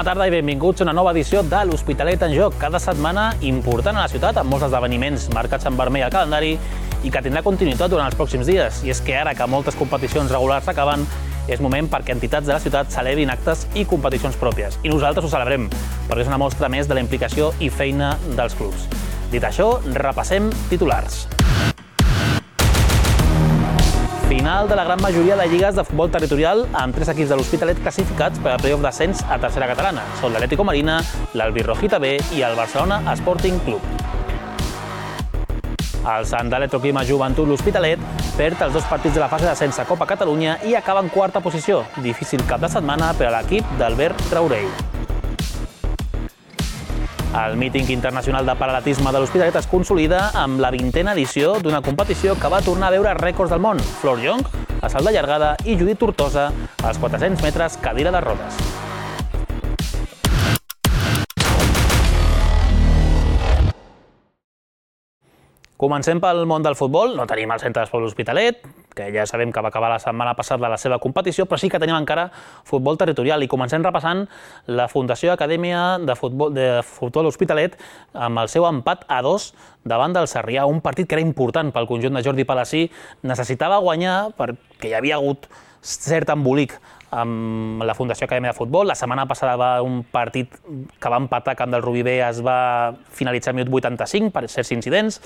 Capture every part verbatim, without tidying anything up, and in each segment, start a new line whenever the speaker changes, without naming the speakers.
Bona tarda i benvinguts a una nova edició de l'Hospitalet en Joc. Cada setmana important a la ciutat, amb molts esdeveniments marcats en vermell al calendari i que tindrà continuïtat durant els pròxims dies. I és que ara que moltes competicions regulars s'acaben, és moment perquè entitats de la ciutat celebrin actes i competicions pròpies. I nosaltres ho celebrem, perquè és una mostra més de la implicació i feina dels clubs. Dit això, repassem titulars. Final de la gran majoria de lligues de futbol territorial amb tres equips de l'Hospitalet classificats per al playoff d'ascens a tercera catalana. Són l'Atlético Marina, l'Albirrojita B i el Barcelona Sporting Club. El Sant d'Electroclima Joventut l'Hospitalet perd els dos partits de la fase d'ascens a Copa Catalunya i acaba en quarta posició. Difícil cap de setmana per a l'equip d'Albert Traorell. El míting internacional de paral·latisme de l'Hospitalet es consolida amb la vintena edició d'una competició que va tornar a veure rècords del món. Flor Young, a salt de llargada, i Judit Tortosa, als quatre-cents metres cadira de rodes. Comencem pel món del futbol. No tenim el Centre d'Esport l'Hospitalet, que ja sabem que va acabar la setmana passada la seva competició, però sí que tenim encara futbol territorial. I comencem repassant la Fundació Acadèmia de Futbol de Futbol Hospitalet amb el seu empat a dos davant del Sarrià, un partit que era important pel conjunt de Jordi Palací. Necessitava guanyar perquè hi havia hagut cert embolic amb la Fundació Acadèmia de Futbol. La setmana passada va un partit que va empatar a Camp del Rubí B, es va finalitzar al minut vuitanta-cinc per certs incidents,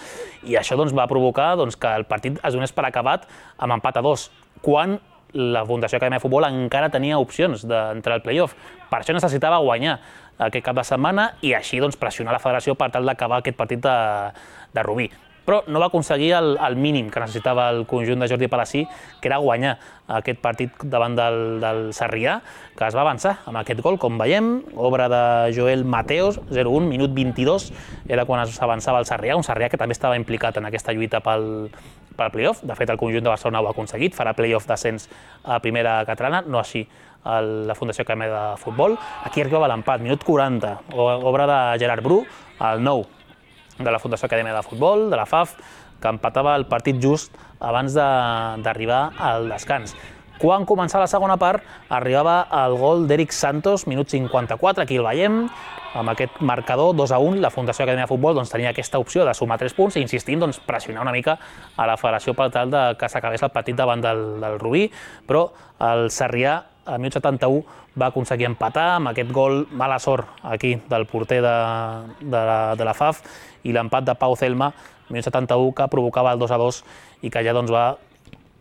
i això doncs, va provocar doncs, que el partit es donés per acabat amb empat a dos, quan la Fundació Acadèmia de Futbol encara tenia opcions d'entrar al playoff. Per això necessitava guanyar aquest cap de setmana i així doncs, pressionar la federació per tal d'acabar aquest partit de, de Rubí. Però no va aconseguir el, el mínim que necessitava el conjunt de Jordi Palací, que era guanyar aquest partit davant del, del Sarrià, que es va avançar amb aquest gol, com veiem, obra de Joel Mateos, zero un, minut vint-i-dos, era quan s'avançava el Sarrià, un Sarrià que també estava implicat en aquesta lluita pel, pel playoff. De fet, el conjunt de Barcelona ho ha aconseguit, farà playoff d'ascens a primera catalana, no així la Fundació Acadèmia de Futbol. Aquí arribava l'empat, minut quaranta, obra de Gerard Bru, el nou de la Fundació Acadèmia de Futbol, de la F A F, que empatava el partit just abans d'arribar al descans. Quan començava la segona part, arribava el gol d'Eric Santos, minut cinquanta-quatre, aquí el veiem, amb aquest marcador dos a un, la Fundació Acadèmia de Futbol doncs, tenia aquesta opció de sumar tres punts i insistint, doncs, pressionar una mica a la federació per tal de que s'acabés el partit davant del, del Rubí, però el Sarrià, al minut setanta-u, va aconseguir empatar amb aquest gol, mala sort aquí del porter de, de, la, de la F A F, i l'empat de Pau Celma, minut setanta-u, que provocava el dos a dos i que ja doncs, va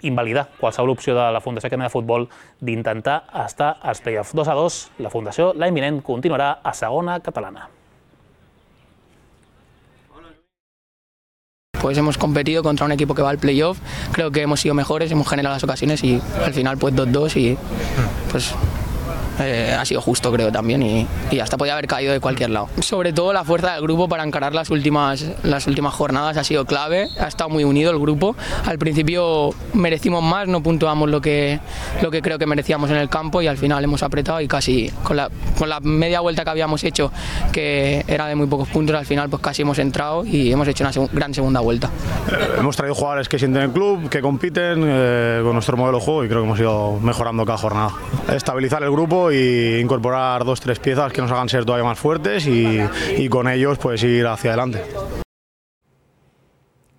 invalidar qualsevol opció de la Fundació Acadèmia de Futbol d'intentar estar als play-offs. dos a dos, la Fundació l'any vinent continuarà a segona catalana.
Pues hemos competido contra un equipo que va al playoff, creo que hemos sido mejores, hemos generado las ocasiones y al final pues dos dos y pues eh, ha sido justo creo también y, y hasta podía haber caído de cualquier lado. Sobre todo la fuerza del grupo para encarar las últimas, las últimas jornadas ha sido clave, ha estado muy unido el grupo. Al principio merecimos más, no puntuamos lo que, lo que creo que merecíamos en el campo y al final hemos apretado y casi con la, con la media vuelta que habíamos hecho, que era de muy pocos puntos, al final pues casi hemos entrado y hemos hecho una seg- gran segunda vuelta.
Hemos traído jugadores que sienten el club, que compiten eh, con nuestro modelo de juego y creo que hemos ido mejorando cada jornada. Estabilizar el grupo y incorporar dos tres piezas que nos hagan ser todavía más fuertes y, y con ellos pues ir hacia adelante.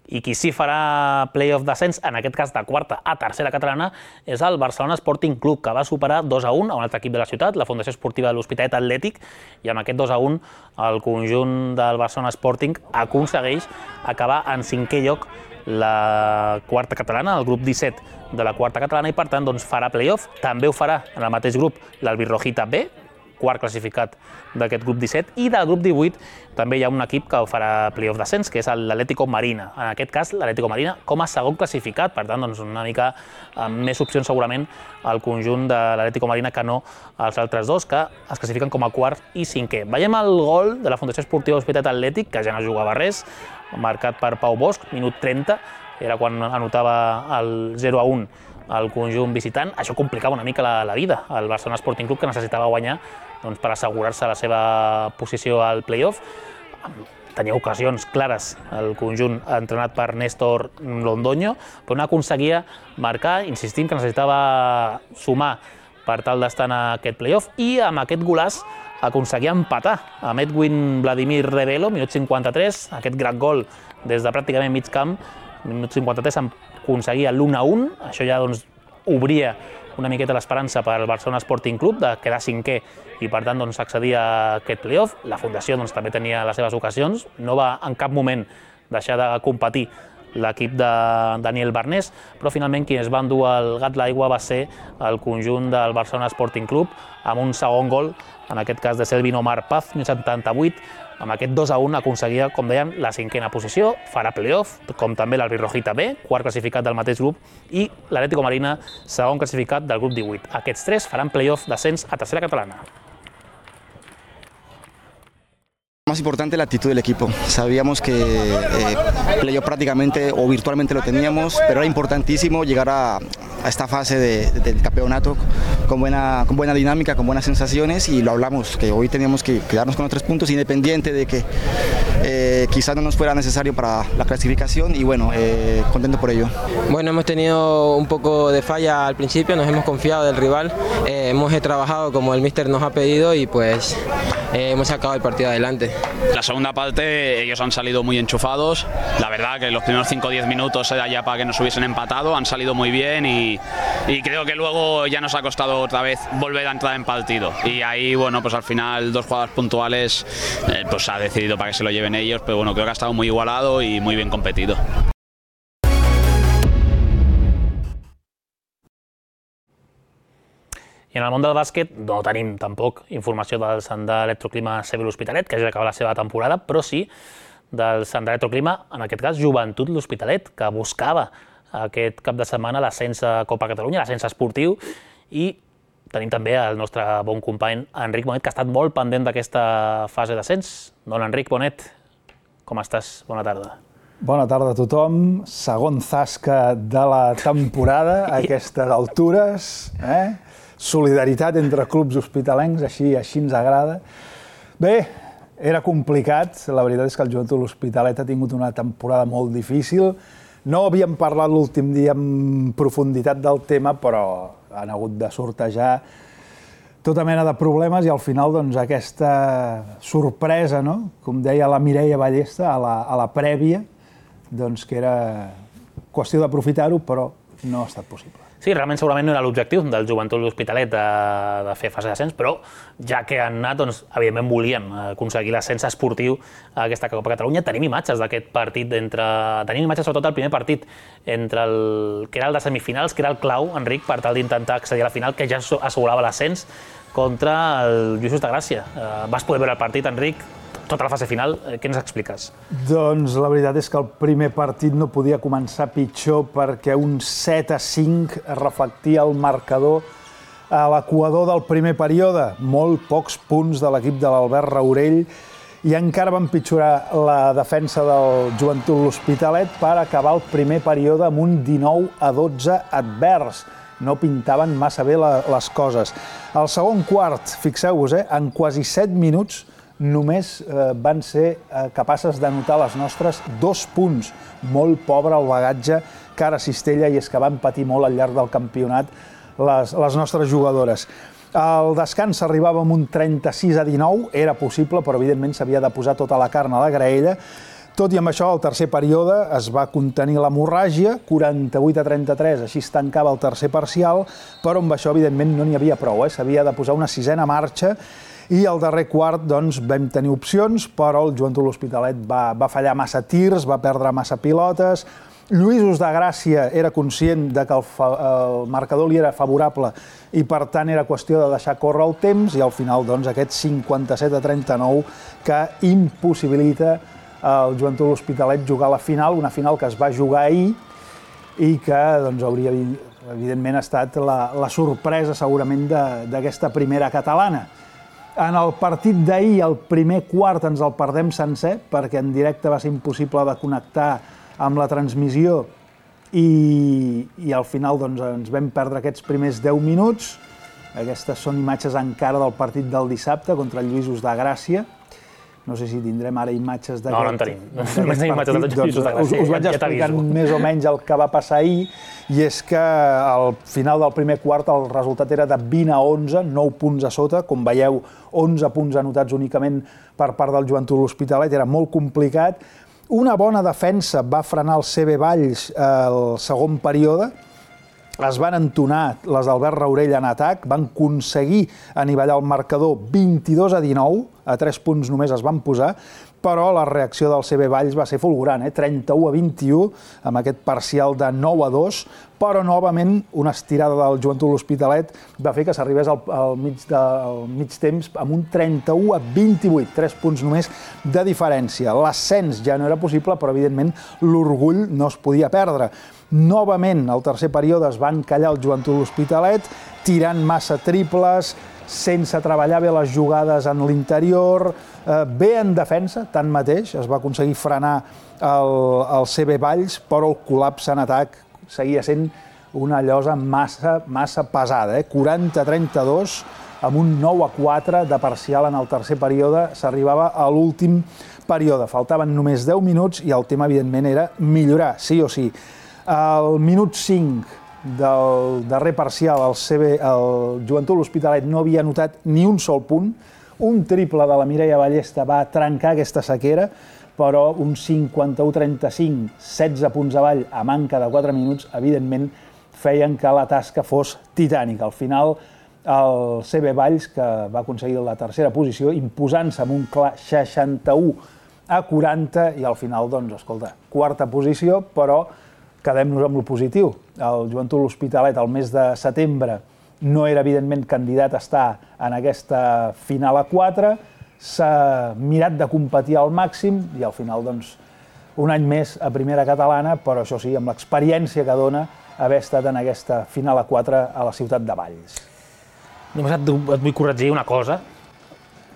I qui sí farà playoff d'ascens, en aquest cas de quarta a tercera catalana, és el Barcelona Sporting Club, que va superar dos a un a un altre equip de la ciutat, la Fundació Esportiva de l'Hospitalet Atlètic, i amb aquest dos a un el conjunt del Barcelona Sporting aconsegueix acabar en cinquè lloc la quarta catalana, el grup disset de la quarta catalana, i per tant doncs, farà playoff. També ho farà en el mateix grup l'Albirrojita B, quart classificat d'aquest grup disset, i del grup divuit també hi ha un equip que farà playoff d'ascens, que és l'Atlético Marina. En aquest cas, l'Atlético Marina com a segon classificat, per tant, doncs, una mica amb més opcions segurament al conjunt de l'Atlético Marina que no els altres dos, que es classifiquen com a quart i cinquè. Veiem el gol de la Fundació Esportiva Hospitalet Atlètic, que ja no jugava res, marcat per Pau Bosch, minut trenta, era quan anotava el zero a un al conjunt visitant. Això complicava una mica la, la vida al Barcelona Sporting Club, que necessitava guanyar doncs, per assegurar-se la seva posició al playoff. Tenia ocasions clares el conjunt entrenat per Néstor Londoño, però no aconseguia marcar, insistint que necessitava sumar per tal d'estar en aquest playoff, i amb aquest golaç aconseguia empatar amb Edwin Vladimir Rebelo, minut cinquanta-tres, aquest gran gol des de pràcticament mig camp, minut cinquanta-tres aconseguia l'u a u, això ja doncs, obria una miqueta l'esperança per al Barcelona Sporting Club de quedar cinquè i per tant doncs, accedir a aquest playoff. La Fundació doncs, també tenia les seves ocasions, no va en cap moment deixar de competir l'equip de Daniel Barnés, però finalment qui es va endur el gat l'aigua va ser el conjunt del Barcelona Sporting Club amb un segon gol, en aquest cas de Selvin Omar Paz, minut setanta-vuit, amb aquest dos a u aconseguia, com dèiem, la cinquena posició, farà playoff, com també l'Albirrojita B, quart classificat del mateix grup, i l'Atlético Marina, segon classificat del grup divuit. Aquests tres faran playoff d'ascens a tercera catalana.
Más importante la actitud del equipo. Sabíamos que eh, playoff prácticamente o virtualmente lo teníamos, pero era importantísimo llegar a, a esta fase de, de, del campeonato con buena, con buena dinámica, con buenas sensaciones, y lo hablamos, que hoy teníamos que quedarnos con los tres puntos independiente de que eh, quizás no nos fuera necesario para la clasificación, y bueno, eh, contento por ello.
Bueno, hemos tenido un poco de falla al principio, nos hemos confiado del rival, eh, hemos trabajado como el míster nos ha pedido y pues eh, hemos sacado el partido adelante.
La segunda parte ellos han salido muy enchufados, la verdad que los primeros cinco o diez minutos era ya para que nos hubiesen empatado, han salido muy bien y, y creo que luego ya nos ha costado otra vez volver a entrar en partido, y ahí bueno, pues al final dos jugadas puntuales eh, pues ha decidido para que se lo lleven ellos, pero bueno, creo que ha estado muy igualado y muy bien competido.
I en el món del bàsquet no tenim tampoc informació del Sandà Electroclima C B l'Hospitalet, que ja acaba la seva temporada, però sí del Sandà Electroclima, en aquest cas Joventut l'Hospitalet, que buscava aquest cap de setmana l'ascens a Copa Catalunya, l'ascens esportiu, i tenim també el nostre bon company Enric Bonet, que ha estat molt pendent d'aquesta fase d'ascens. Don Enric Bonet, com estàs? Bona tarda.
Bona tarda a tothom. Segon zasca de la temporada a aquestes altures, eh? Solidaritat entre clubs hospitalencs, així, així ens agrada. Bé, era complicat, la veritat és que el Joventut l'Hospitalet ha tingut una temporada molt difícil. No havíem parlat l'últim dia en profunditat del tema, però han hagut de sortejar tota mena de problemes i al final doncs, aquesta sorpresa, no? Com deia la Mireia Ballesta a la, a la prèvia, doncs, que era qüestió d'aprofitar-ho, però no ha estat possible.
Sí, realment segurament no era l'objectiu del Joventut l'Hospitalet de, de fer fase d'ascens, però ja que han anat, doncs, evidentment volien aconseguir l'ascens esportiu a aquesta Copa Catalunya. Tenim imatges d'aquest partit, entre... tenim imatges sobretot del primer partit, entre el que era el de semifinals, que era el clau, Enric, per tal d'intentar accedir a la final, que ja assegurava l'ascens contra el Lluís de Gràcia. Vas poder veure el partit, Enric, tota la fase final, què ens expliques?
Doncs la veritat és que el primer partit no podia començar pitjor perquè un set a cinc reflectia el marcador a l'equador del primer període. Molt pocs punts de l'equip de l'Albert Raurell i encara va empitjorar la defensa del Joventut l'Hospitalet per acabar el primer període amb un dinou a dotze advers. No pintaven massa bé les coses. Al segon quart, fixeu-vos, eh, en quasi set minuts només eh, van ser eh, capaces d'anotar les nostres dos punts. Molt pobre el bagatge que ara cistella, i és que van patir molt al llarg del campionat les, les nostres jugadores. Al descans arribava amb un trenta-sis a dinou, era possible, però evidentment s'havia de posar tota la carn a la graella. Tot i amb això, al tercer període es va contenir l'hemorràgia, quaranta-vuit a trenta-tres, així es tancava el tercer parcial, però amb això, evidentment, no n'hi havia prou, eh? S'havia de posar una sisena marxa, i al darrer quart doncs, vam tenir opcions, però el Joventut l'Hospitalet va, va fallar massa tirs, va perdre massa pilotes. Lluís de Gràcia era conscient de que el, fa, el marcador li era favorable i per tant era qüestió de deixar córrer el temps, i al final doncs, aquest cinquanta-set a trenta-nou que impossibilita al Joventut l'Hospitalet jugar a la final, una final que es va jugar ahir i que doncs, hauria evidentment estat la, la sorpresa segurament d'aquesta primera catalana. En el partit d'ahir, el primer quart ens el perdem sencer, perquè en directe va ser impossible de connectar amb la transmissió i, i al final doncs, ens vam perdre aquests primers deu minuts. Aquestes són imatges encara del partit del dissabte contra el Lluís de Gràcia. no sé si tindrem ara imatges d'aquest...
No, no en tenim. No tenim imatges dels Lluïsos de Gràcia.
Us vaig explicant més o menys el que va passar ahir, i és que al final del primer quart el resultat era de vint a onze, nou punts a sota, com veieu, onze punts anotats únicament per part del Joventut L'Hospitalet, era molt complicat. Una bona defensa va frenar el C B Valls al segon període, es van entonar les d'Albert Raurell en atac, van aconseguir anivellar el marcador vint-i-dos a dinou, a tres punts només es van posar, però la reacció del C B Valls va ser fulgurant, eh? trenta-u a vint-i-u, amb aquest parcial de nou a dos, però novament una estirada del Joventut L'Hospitalet va fer que s'arribés al, al, mig de, al mig temps amb un trenta-u a vint-i-vuit, tres punts només de diferència. L'ascens ja no era possible, però evidentment l'orgull no es podia perdre. Novament, al tercer període es va encallar el Joventut L'Hospitalet, tirant massa triples, sense treballar bé les jugades en l'interior, eh, bé en defensa, tanmateix, es va aconseguir frenar el, el C B Valls, però el col·lapse en atac seguia sent una llosa massa, massa pesada, eh? quaranta a trenta-dos, amb un nou a quatre de parcial en el tercer període, s'arribava a l'últim període. Faltaven només deu minuts i el tema, evidentment, era millorar, sí o sí. Al minut cinc del darrer parcial, el, C B, el Joventut L'Hospitalet no havia anotat ni un sol punt. Un triple de la Mireia Ballesta va trencar aquesta sequera, però un cinquanta-u a trenta-cinc, setze punts avall a manca de quatre minuts, evidentment feien que la tasca fos titànica. Al final, el C B Valls, que va aconseguir la tercera posició, imposant-se amb un clar seixanta-u a quaranta, i al final, doncs, escolta, quarta posició, però quedem-nos amb lo positiu. El Joventut L'Hospitalet al mes de setembre no era, evidentment, candidat a estar en aquesta final a quatre, s'ha mirat de competir al màxim i al final, doncs, un any més a primera catalana, però això sí, amb l'experiència que dona haver estat en aquesta final a quatre a la ciutat de Valls.
Només et, et vull corregir una cosa,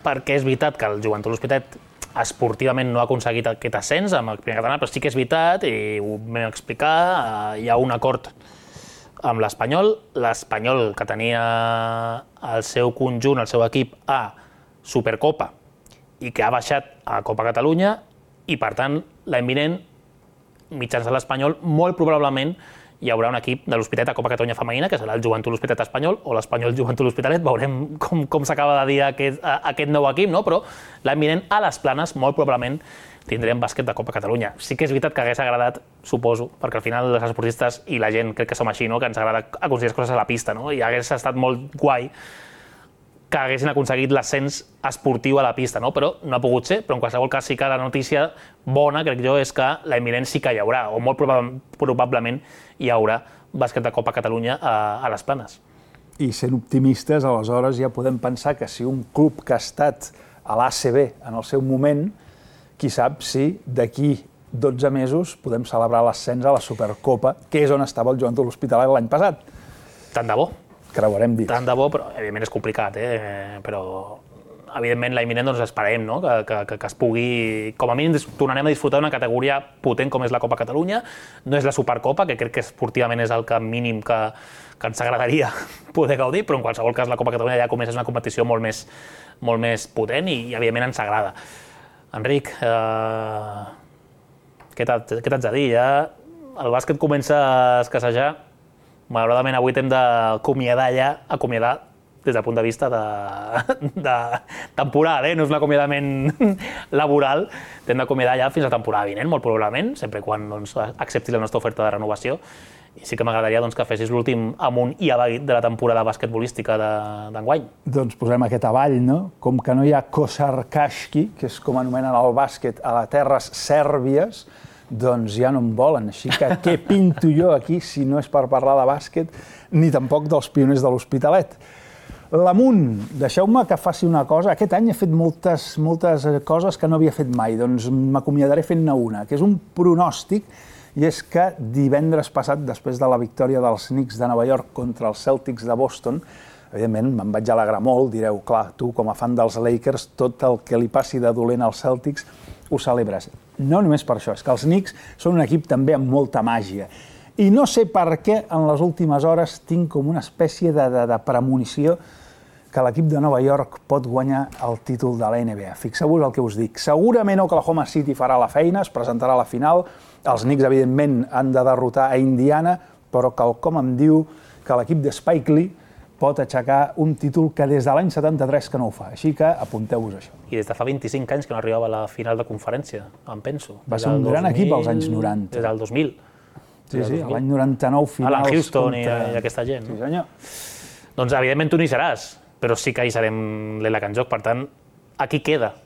perquè és veritat que el Joventut L'Hospitalet esportivament no ha aconseguit aquest ascens amb el primer català, però sí que és veritat, i ho vam explicar, hi ha un acord amb l'Espanyol, l'Espanyol que tenia el seu conjunt, el seu equip a Supercopa i que ha baixat a Copa Catalunya, i per tant l'any vinent, mitjançant l'Espanyol, molt probablement hi haurà un equip de l'Hospitalet a Copa Catalunya femenina, que serà el Joventut L'Hospitalet espanyol o l'Espanyol Joventut L'Hospitalet, veurem com, com s'acaba de dir aquest, aquest nou equip, no? Però l'any vinent a les Planes, molt probablement, tindrem bàsquet de Copa Catalunya. Sí que és veritat que hagués agradat, suposo, perquè al final els esportistes i la gent, crec que som així, no? Que ens agrada aconseguir coses a la pista, no? I hagués estat molt guai que haguessin aconseguit l'ascens esportiu a la pista, no? Però no ha pogut ser, però en qualsevol cas sí que la notícia bona, crec jo, és que l'any vinent sí que hi haurà, o molt probablement hi haurà bàsquet de Copa Catalunya a, a les Planes.
I sent optimistes, aleshores ja podem pensar que si un club que ha estat a l'A C B en el seu moment, qui sap si d'aquí dotze mesos podem celebrar l'ascens a la Supercopa, que és on estava el Joventut L'Hospitalet l'any passat.
Tant de bo.
Creuarem dits.
Tant de bo, però evidentment és complicat, eh? Però evidentment l'any vinent doncs, esperem, no? que, que, que es pugui, com a mínim tornarem a disfrutar d'una categoria potent com és la Copa Catalunya. No és la Supercopa, que crec que esportivament és el que mínim que, que ens agradaria poder gaudir, però en qualsevol cas la Copa Catalunya ja comença a ser una competició molt més, molt més potent i, i evidentment ens agrada. Enric, eh, què t'haig de dir? Ja el bàsquet comença a escassejar. Malauradament avui t'hem d'acomiadar ja, acomiadar des del punt de vista de, de temporal, eh? No és un acomiadament laboral, t'hem d'acomiadar ja fins a la temporada vinent, molt probablement, sempre quan doncs, acceptis la nostra oferta de renovació. I sí que m'agradaria doncs, que fessis l'últim amunt i avall de la temporada basquetbolística d'enguany.
Doncs posem aquest avall, no? Com que no hi ha Kosarkashki, que és com anomenen el bàsquet a les terres sèrbies, doncs ja no em volen, així que què pinto jo aquí si no és per parlar de bàsquet ni tampoc dels pioners de l'Hospitalet. L'amunt, deixeu-me que faci una cosa. Aquest any he fet moltes, moltes coses que no havia fet mai, doncs m'acomiadaré fent-ne una, que és un pronòstic, i és que divendres passat, després de la victòria dels Knicks de Nova York contra els Celtics de Boston, evidentment me'n vaig alegrar molt, direu, clar, tu com a fan dels Lakers, tot el que li passi de dolent als Celtics ho celebres. No només per això, és que els Knicks són un equip també amb molta màgia. I no sé per què en les últimes hores tinc com una espècie de, de, de premonició que l'equip de Nova York pot guanyar el títol de la N B A. Fixeu-vos el que us dic. Segurament Oklahoma City farà la feina, es presentarà a la final. Els Knicks, evidentment, han de derrotar a Indiana, però quelcom em diu que l'equip de Spike Lee pot aixecar un títol que des de l'any setanta-tres que no ho fa. Així que apunteu-vos això.
I des de fa vint-i-cinc anys que no arribava a la final de conferència, em penso.
Va ser un gran equip als anys noranta.
Des del dos mil.
Sí, sí, l'any noranta-nou finals.
Alan Houston i aquesta gent.
Sí, senyor.
Doncs, evidentment, tu n'hi seràs, però sí que hi serem l'E L A C en joc. Per tant, aquí queda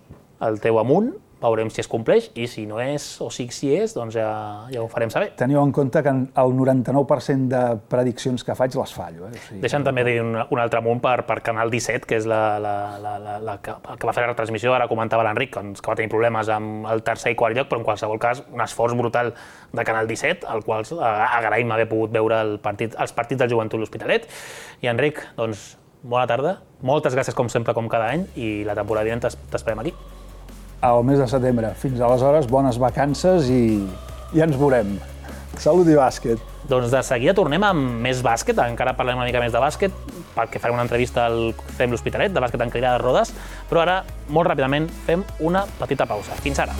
el teu amunt, veurem si es compleix, i si no és, o si sí és, doncs ja, ja ho farem saber.
Teniu en compte que el noranta-nou per cent de prediccions que faig les fallo. Eh? O sigui,
Deixa'm també dir un, un altre amunt per, per Canal disset, que és la, la, la, la, la que, que va fer la retransmissió, ara comentava l'Enric, que va tenir problemes amb el tercer i quart lloc, però en qualsevol cas un esforç brutal de Canal disset, al qual agraïm haver pogut veure el partit, els partits del Joventut L'Hospitalet. I Enric, doncs, bona tarda, moltes gràcies com sempre, com cada any, i la temporada vinent t'esperem aquí.
Al mes de setembre. Fins aleshores, bones vacances i ja ens veurem. Salut i bàsquet.
Doncs de seguida tornem amb més bàsquet, encara parlem una mica més de bàsquet, perquè farem una entrevista al C E M L'Hospitalet, de bàsquet en cadira de rodes, però ara, molt ràpidament, fem una petita pausa. Fins ara.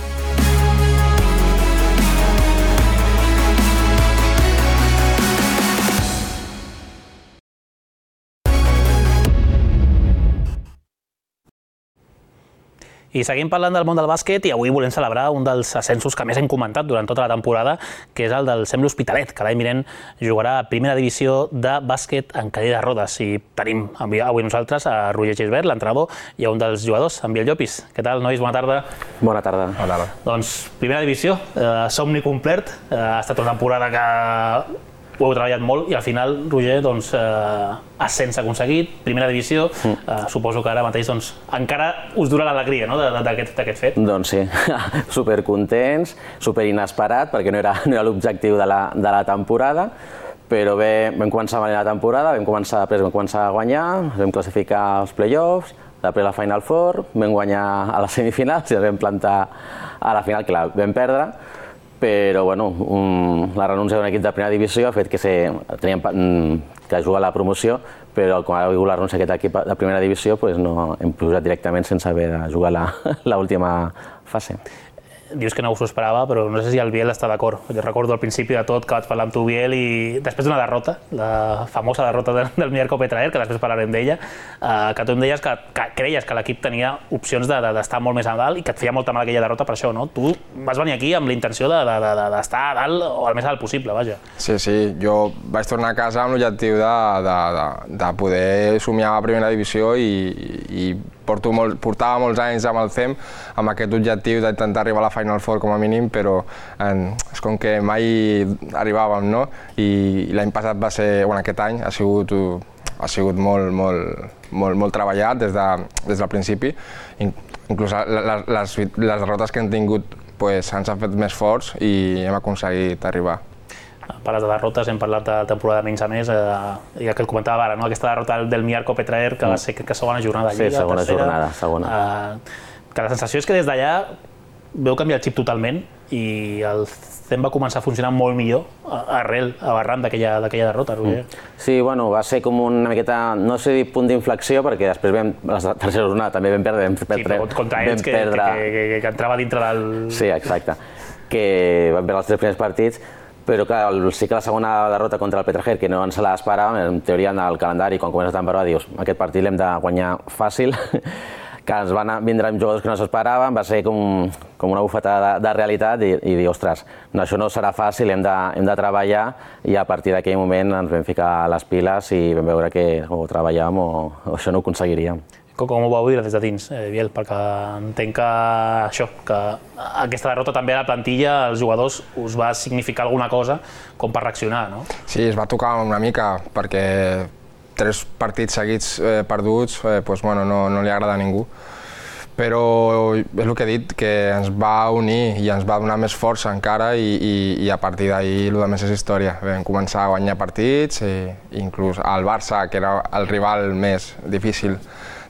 I seguim parlant del món del bàsquet i avui volem celebrar un dels ascensos que més hem comentat durant tota la temporada, que és el del C E M L'Hospitalet, que l'any vinent jugarà a primera divisió de bàsquet en cadira de rodes. I tenim avui nosaltres a Roger Gisbert, l'entrenador, i a un dels jugadors, en Biel Llopis. Què tal, nois? Bona tarda.
Bona tarda.
Bona tarda.
Doncs primera divisió, eh, somni complet. Eh, ha estat una temporada que ho heu treballat molt i al final, Roger, doncs, eh, ascens aconseguit, primera divisió, eh, suposo que ara mateix doncs, encara us dura l'alegria, no?, d'aquest fet.
Doncs sí, supercontents, superinesperat, perquè no era, no era l'objectiu de, la, de la temporada, però bé, vam començar a la temporada, vam començar, després vam començar a guanyar, vam classificar als play-offs, després la Final Four, vam guanyar a les semifinals i ens vam plantar a la final, que la vam perdre, però bueno, um, la renúncia d'un equip de primera divisió ha fet que se, teníem um, que jugar a la promoció, però quan ha hagut la renúncia d'aquest equip de primera divisió pues no, hem posat directament sense haver de jugar l'última fase.
Dius que no us ho esperava, però no sé si el Biel està d'acord. Jo recordo al principi de tot que vaig parlar amb tu, Biel, i després d'una derrota, la famosa derrota del, del Mierco Petraer, que després parlarem d'ella, eh, que tu em deies que, que creies que l'equip tenia opcions d'estar de, de, molt més a dalt i que et feia molta mal aquella derrota per això, no? Tu vas venir aquí amb la intenció d'estar de, de, de, a dalt o al més alt possible, vaja.
Sí, sí, jo vaig tornar a casa amb l'objectiu de, de, de, de poder somiar a primera divisió i, i porto molt, portava molts anys amb el C E M amb aquest objectiu d'intentar arribar a la Final Four com a mínim, però en, és com que mai arribàvem, no? I, i l'any passat va ser, bueno, aquest any ha sigut, ha sigut molt, molt, molt, molt treballat des, de, des del principi. Inclús les, les, les derrotes que hem tingut pues, ens han fet més forts i hem aconseguit arribar.
Parles de derrotes, hem parlat de temporada menys a més, eh, i el que el comentava ara, no? Aquesta derrota del Mierco Petraer, que va ser que, que segona jornada de Lliga,
sí, segona
tercera,
jornada, segona.
Eh, que la sensació és que des d'allà veu canviar el xip totalment i el C E M va començar a funcionar molt millor arrel, arran d'aquella derrota, Roger.
Sí, bueno, va ser com una miqueta, no sé dir punt d'inflexió, perquè després vam, la tercera jornada també vam perdre, vam perdre,
sí, contra ells que, perdre... que, que, que, que entrava dintre del...
Sí, exacte, que vam perdre els tres primers partits, però clar, sí que la segona derrota contra el Petraer, que no ens la esperàvem, en teoria en el calendari, quan comença la temporada, dius, aquest partit l'hem de guanyar fàcil, que ens van vindre amb jugadors que no s'esperaven, va ser com, com una bufetada de, de realitat i, i dir, ostres, no, això no serà fàcil, hem de, hem de treballar, i a partir d'aquell moment ens vam ficar les piles i vam veure que o treballàvem o, o això no ho aconseguiríem.
Com ho vau dir des de dins, eh, Biel? Perquè entenc que això, que aquesta derrota també a la plantilla, als jugadors, us va significar alguna cosa com per reaccionar, no?
Sí, es va tocar una mica, perquè tres partits seguits eh, perduts eh, pues, bueno, no, no li agrada a ningú. Però és el que he dit, que ens va unir i ens va donar més força encara i, i, i a partir d'ahir el més és història. Vam començar a guanyar partits, i, inclús el Barça, que era el rival més difícil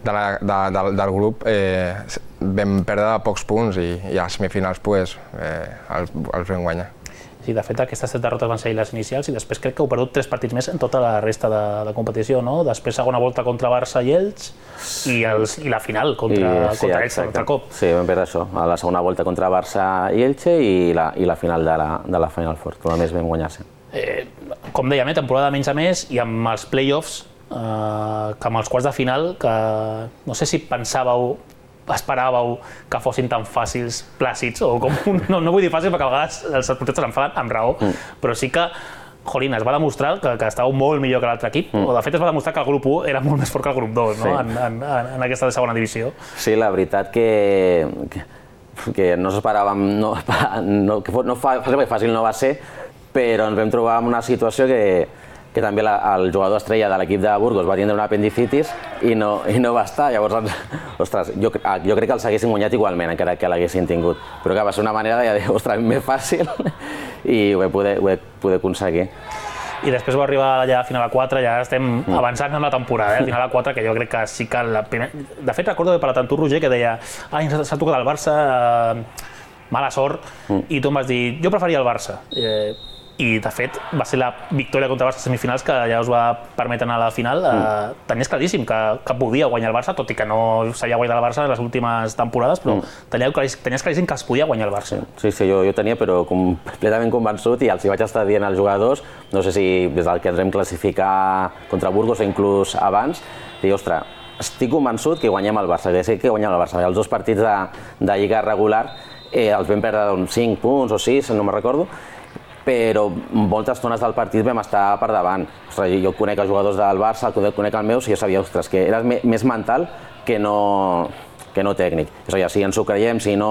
de la, de, de, del grup, eh, vam perdre pocs punts i, i a les semifinals pues, eh, els, els vam guanyar.
Sí, de fet, aquestes set derrotes van ser les inicials i després crec que heu perdut tres partits més en tota la resta de, de competició, no? Després segona volta contra Barça i Elx i, els, i la final contra, I, sí, contra Elx un altre cop.
Sí, vam perdre això, a la segona volta contra Barça i Elche i la, i la final de la, de la Final Four, que només vam guanyar-se.
Eh, com dèiem, eh, temporada menys a més i amb els play-offs, eh, que amb els quarts de final, que no sé si pensàveu esperàveu que fossin tan fàcils, plàcids, o com, no, no vull dir fàcils perquè a vegades els porters s'enfaden amb raó, mm. però sí que, jolín, es va demostrar que, que estàveu molt millor que l'altre equip, mm. o de fet es va demostrar que el grup u era molt més fort que el grup dos, no? Sí. en, en, en aquesta segona divisió.
Sí, la veritat que, que, que no s'esperàvem, no, no, que no fàcil no va ser, però ens vam trobar en una situació que que també la, el jugador estrella de l'equip de Burgos va tindre una apendicitis i no, i no va estar. Llavors, ostres, jo, jo crec que els haguessin guanyat igualment, encara que l'haguessin tingut. Però que va ser una manera de dir, ostres, més fàcil, i ho vam poder, ho vam poder aconseguir.
I després va arribar ja a final a quatre, ja estem mm. avançant amb la temporada, eh? Final a quatre, que jo crec que sí que la primera... De fet, recordo de parlar amb tu, Roger, que deia ai, s'ha tocat el Barça, eh, mala sort, mm. i tu em vas dir, jo preferia el Barça. Eh, I, de fet, va ser la victòria contra el Barça a semifinals que ja us va permetre anar a la final. Mm. Eh, tenies claríssim que, que podia guanyar el Barça, tot i que no s'havia guanyat el Barça en les últimes temporades, però mm. tenies, claríssim, tenies claríssim que es podia guanyar el Barça.
Sí, sí, jo, jo tenia, però completament convençut, i els hi vaig estar dient als jugadors, no sé si des del que ens vam classificar contra Burgos o inclús abans, i ostres, estic convençut que guanyem el Barça, que sé que guanyem el Barça. Els dos partits de, de lliga regular eh, els vam perdre uns cinc punts o sis, no me'n recordo, però moltes estones del partit vam estar per davant. Ostres, jo conec els jugadors del Barça, conec el meu, i jo sabia, ostres, que era més mental que no, que no tècnic. És a dir, si ens ho creiem, si no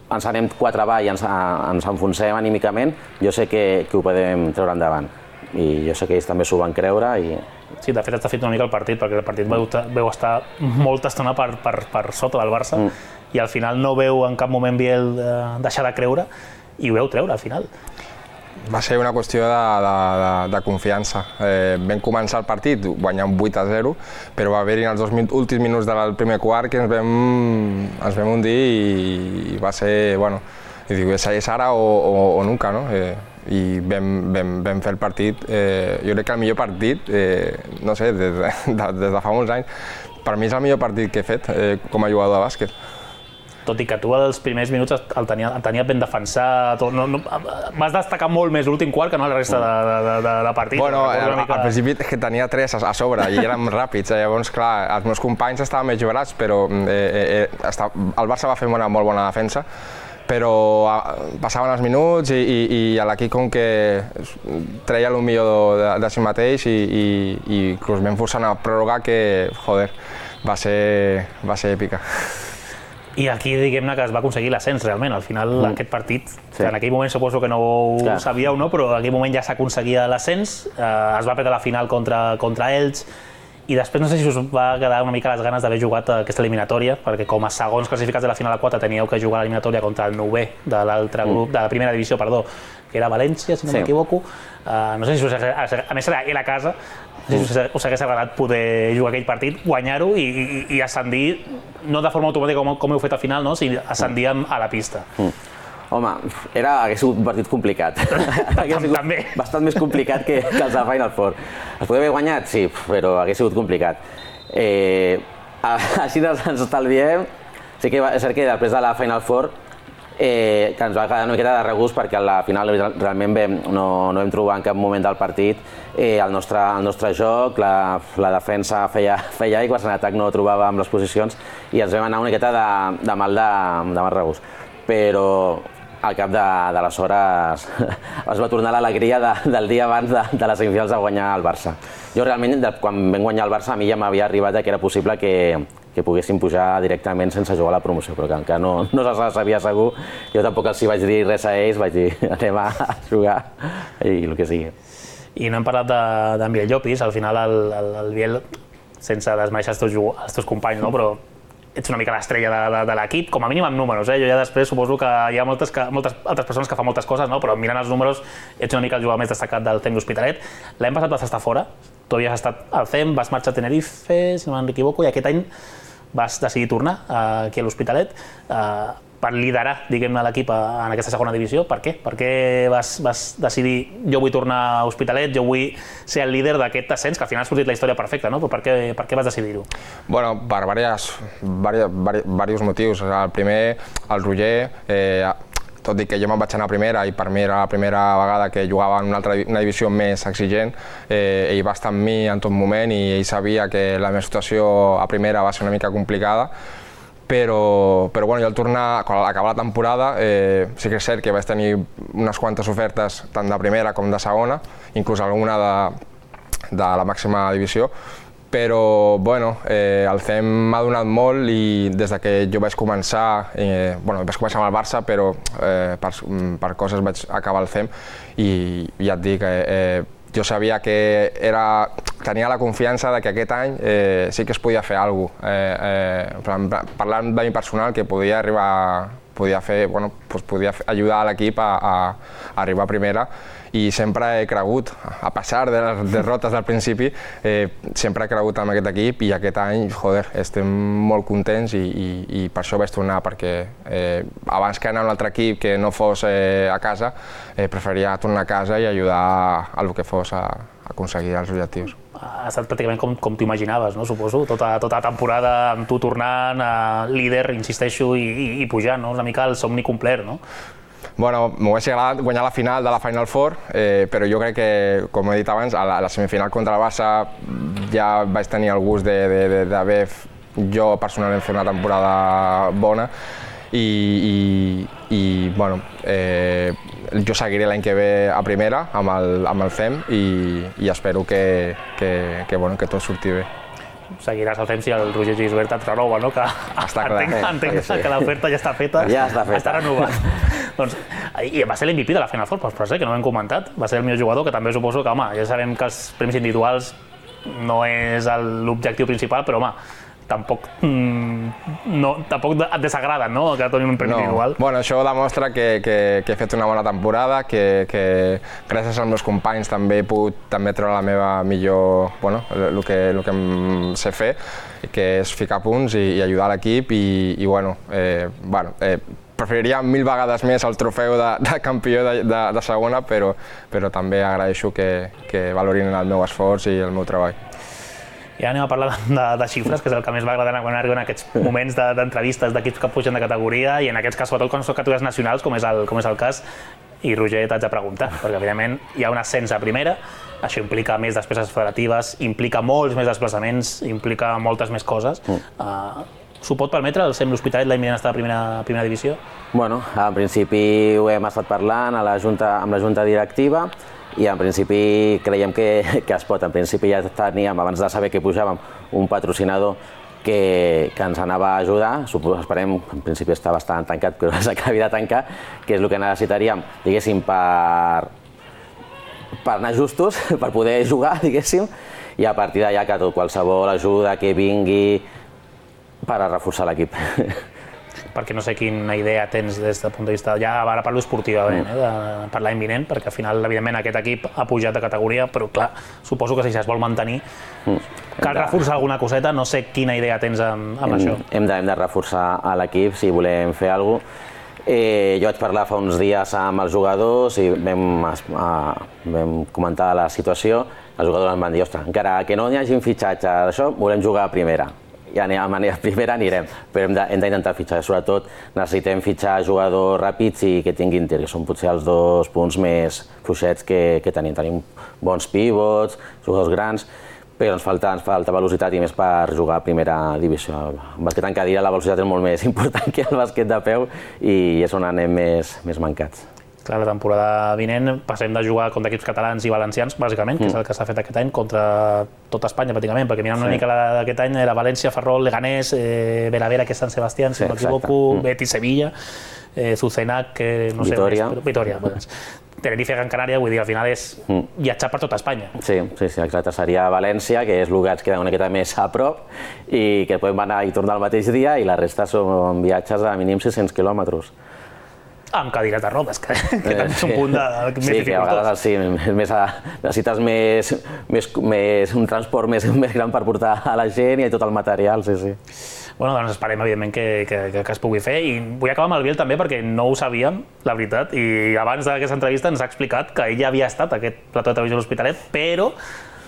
ens anem quatre avall i ens, ens enfonsem anímicament, jo sé que, que ho podem treure endavant. I jo sé que ells també s'ho van creure. I...
Sí, de fet està fet una mica el partit, perquè el partit veu, veu estar molta estona per, per, per sota del Barça mm. i al final no veu en cap moment Biel eh, deixar de creure i ho veu treure al final.
Va ser una qüestió de, de, de, de confiança. Eh, vam començar el partit guanyant vuit a zero, però va haver-hi en els dos últims minuts del primer quart que ens vam, ens vam hundir i, i va ser, bueno, i dic, és ara o, o, o nunca, no? Eh, I vam, vam, vam fer el partit, eh, jo crec que el millor partit, eh, no sé, des de, de, des de fa molts anys, per mi és el millor partit que he fet eh, com a jugador de bàsquet.
Tot i que tu als primers minuts el tenia, el tenia ben defensat, no, no, vas destacar molt més l'últim quart que no la resta de, de, de, de partit.
Bueno, al, mica... al principi és que tenia tres a, a sobre i érem ràpids, eh? Llavors, clar, els meus companys estaven més jugats, però eh, eh, està, el Barça va fer una molt bona defensa, però passaven els minuts i, i, i l'equip com que treia el millor de, de si mateix i, i, i inclús vam forçar a pròrroga que, joder, va ser, va ser èpica.
I aquí diguem-ne que es va aconseguir l'ascens realment, al final mm. aquest partit, sí. En aquell moment suposo que no ho Clar. sabíeu, no? Però en aquell moment ja s'aconseguia l'ascens, eh, es va perdre la final contra, contra Elx, i després no sé si us va quedar una mica les ganes d'haver jugat aquesta eliminatòria, perquè com a segons classificats de la final a quatre teníeu que jugar l'eliminatòria contra el novè de l'altre grup, mm. de la primera divisió, perdó, que era València, si no sí. m'equivoco. Uh, no sé si us, a més era a casa, no sé si us, us hagués agradat poder jugar aquell partit, guanyar-ho i, i, i ascendir, no de forma automàtica com, com heu fet al final, no? sinó ascendir a la pista.
Mm. Home, era, hagués sigut un partit complicat. Hagués sigut
També.
bastant més complicat que, que els de Final Four. Els podria haver guanyat? Sí, però hagués sigut complicat. Eh, així ens estalviem. Sí que és cert que després de la Final Four eh, que ens va quedar una miqueta de regust perquè a la final realment vam, no, no vam trobar en cap moment del partit eh, el, nostre, el nostre joc, la, la defensa feia, feia aigües, en atac no trobàvem les posicions i ens vam anar una miqueta de, de mal de, de mal regust. Però al cap de, de les hores es va tornar l'alegria de, del dia abans de, de les semifinals de guanyar el Barça. Jo realment, de, quan vam guanyar el Barça, a mi ja m'havia arribat que era possible que, que poguessin pujar directament sense jugar a la promoció, però que encara no, no se sabia segur. Jo tampoc els hi vaig dir res a ells, vaig dir anem a jugar i el que sigui.
I no hem parlat d'en Biel Llopis, al final el, el, el Biel, sense desmereixer els teus, els teus companys, no? Però ets una mica l'estrella de, de, de l'equip, com a mínim amb números. Eh? Jo ja després suposo que hi ha moltes, que, moltes altres persones que fan moltes coses, no? Però mirant els números ets una mica el jugador més destacat del C E M L'Hospitalet. L'any passat vas estar fora, tu havies estat al C E M, vas marxar a Tenerife, si no m'equivoco, i aquest any vas decidir tornar aquí a l'Hospitalet. Uh, per liderar, diguem-ne, l'equip en aquesta segona divisió. Per què? Per què vas, vas decidir jo vull tornar a Hospitalet, jo vull ser el líder d'aquest ascens, que al final ha sortit la història perfecta, no? Però per què, per què vas decidir-ho?
Bueno, per diversos motius. El primer, el Roger, eh, tot i que jo me'n vaig anar a primera i per mi era la primera vegada que jugava en una, altra, una divisió més exigent, eh, ell va estar amb mi en tot moment i ell sabia que la meva situació a primera va ser una mica complicada, però, però bueno, jo al tornar, quan acabava la temporada, eh, sí que és cert que vaig tenir unes quantes ofertes tant de primera com de segona, inclús alguna de, de la màxima divisió, però bueno, eh, el C E M m'ha donat molt i des de que jo vaig començar, eh, bueno, vaig començar amb el Barça, però eh, per, per coses vaig acabar el C E M i ja et dic, eh, eh, jo sabia que era, tenia la confiança de que aquest any eh, sí que es podia fer alguna cosa, eh, eh, parlant de mi personal, que podia arribar, podia fer, bueno, doncs podia ajudar l'equip a, a, a arribar a primera. I sempre he cregut, a pesar de les derrotes al principi, eh, sempre he cregut en aquest equip i aquest any, joder, estem molt contents i, i, i per això vaig tornar, perquè eh, abans que anar a un altre equip que no fos eh, a casa, eh, preferia tornar a casa i ajudar a el que fos a, a aconseguir els objectius.
Ha estat pràcticament com, com t'ho imaginaves, no? Suposo, tota, tota la temporada amb tu tornant a líder, insisteixo, i, i, i pujant, no? Una mica el somni complet, no?
Bueno, m'hagués agradat guanyar la final de la Final Four, eh, però jo crec que, com he dit abans, a la, a la semifinal contra el Barça ja vaig tenir el gust d'haver jo personalment fet una temporada bona i, i, i bueno, eh, jo seguiré l'any que ve a primera amb el, amb el C E M i, i espero que, que, que, bueno, que tot surti bé.
Seguiràs el C E M si el Roger Gisbert et renova, no? Que
està clar,
entenc, entenc sí, sí. que l'oferta ja està feta,
ja està, feta.
Està renovat. Doncs, i va ser l'M V P de la Final Four, però sé que no ho hem comentat, va ser el millor jugador, que també suposo que, home, ja sabem que els premis individuals no és l'objectiu principal, però, home, tampoc, mm, no, tampoc et desagraden, no?, que donin un premi
no.
individual.
Bueno, això demostra que, que, que he fet una bona temporada, que, que gràcies als meus companys també he pogut també treure la meva millor, bueno, el que, el que em sé fer, que és ficar punts i, i ajudar l'equip i, i, bueno, eh, bueno eh, preferiria mil vegades més el trofeu de, de campió de, de, de segona, però, però també agraeixo que, que valorin el meu esforç i el meu treball.
I ara anem a parlar de, de xifres, que és el que més va agradar quan arriben aquests moments d'entrevistes d'equips que pugen de categoria i en aquests cas, sobretot quan són categories nacionals, com és el, com és el cas. I Roger, t'haig de preguntar, perquè evidentment hi ha un ascens a primera, això implica més despeses federatives, implica molts més desplaçaments, implica moltes més coses. Mm. Uh, S'ho pot permetre el C E M l'Hospitalet l'any vinent estar a primera, primera divisió?
Bueno, en principi ho hem estat parlant a la junta, amb la junta directiva i en principi creiem que, que es pot. En principi ja teníem, abans de saber que pujàvem, un patrocinador que, que ens anava a ajudar. Suposo, esperem, en principi està bastant tancat, però s'acabi de tancar, que és el que necessitaríem, diguéssim, per, per anar justos, per poder jugar, diguéssim, i a partir d'allà que tot, qualsevol ajuda que vingui per a reforçar l'equip.
Perquè no sé quina idea tens des del punt de vista, ja ara parlo esportivament, eh, de, per l'any vinent, perquè al final, evidentment, aquest equip ha pujat de categoria, però clar, suposo que si es vol mantenir, cal reforçar alguna coseta, no sé quina idea tens amb, amb
hem,
això.
Hem de, hem de reforçar a l'equip si volem fer alguna cosa. Eh, jo vaig parlar fa uns dies amb els jugadors i vam, a, vam comentar la situació. Els jugadors em van dir, ostres, encara que no hi hagin fitxatge d'això, volem jugar a primera. Ja anem, a primera anirem, però hem d'intentar fitxar. Sobretot necessitem fitxar jugadors ràpids i que tinguin tir, que són potser els dos punts més fluixets que, que tenim. Tenim bons pivots, jugadors grans, però ens falta, ens falta velocitat i més per jugar a primera divisió. El bàsquet en cadira la velocitat és molt més important que el bàsquet de peu i és on anem més, més mancats.
Clar, la temporada vinent passem de jugar contra equips catalans i valencians, bàsicament, que és el que s'ha fet aquest any, contra tota Espanya, pràcticament, perquè mirant una sí. mica d'aquest any era València, Ferrol, Leganés, eh, Veravera, que és Sant Sebastián, si sí, no m'equivoco, mm. Betis, Sevilla, eh, Zucenac, que no sé
Vitoria.
Més, però Vitoria. Doncs. Tenerife, Gran Canària, vull dir, al final és mm. viatjar per tota Espanya.
Sí, sí, sí, exacte. Seria València, que és el que ens queda una miqueta més a prop i que podem anar i tornar el mateix dia i la resta són viatges de mínim sis cents quilòmetres.
Amb cadires de rodes, que, que també és un punt de, més
sí,
dificultós.
Que a vegades sí, més a, necessites més, més, més, un transport més, més gran per portar a la gent i tot el material, sí, sí.
Bueno, doncs esperem, evidentment, que, que, que es pugui fer. I vull acabar amb el Biel també, perquè no ho sabíem, la veritat, i abans d'aquesta entrevista ens ha explicat que ell ja havia estat a aquest plató de televisió de l'Hospitalet, però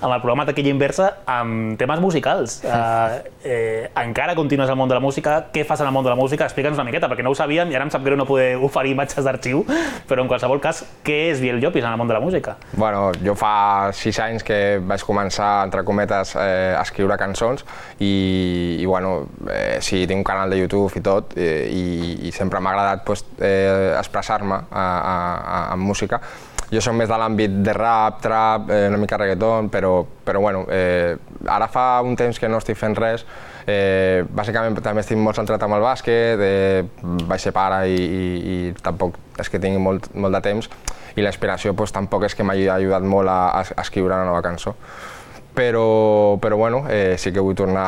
amb el programa Taquilla Inversa amb temes musicals. Uh, eh, encara continues al món de la música, què fas en el món de la música? Explica'ns una miqueta, perquè no ho sabíem i ara em sap greu no poder oferir imatges d'arxiu, però en qualsevol cas, què és Biel Llopis en el món de la música?
Bueno, jo fa sis anys que vaig començar, entre cometes, eh, a escriure cançons i, i bueno, eh, sí, tinc un canal de YouTube i tot, eh, i, i sempre m'ha agradat pues, eh, expressar-me en música. Jo soc més de l'àmbit de rap, trap, eh, una mica reggaeton, però, però bueno, eh, ara fa un temps que no estic fent res. Eh, bàsicament també estic molt centrat amb el bàsquet, eh, vaig ser pare i, i, i tampoc és que tingui molt, molt de temps i l'inspiració pues, tampoc és que m'hagi ajudat molt a, a escriure una nova cançó. Però, però bueno, eh, sí que vull tornar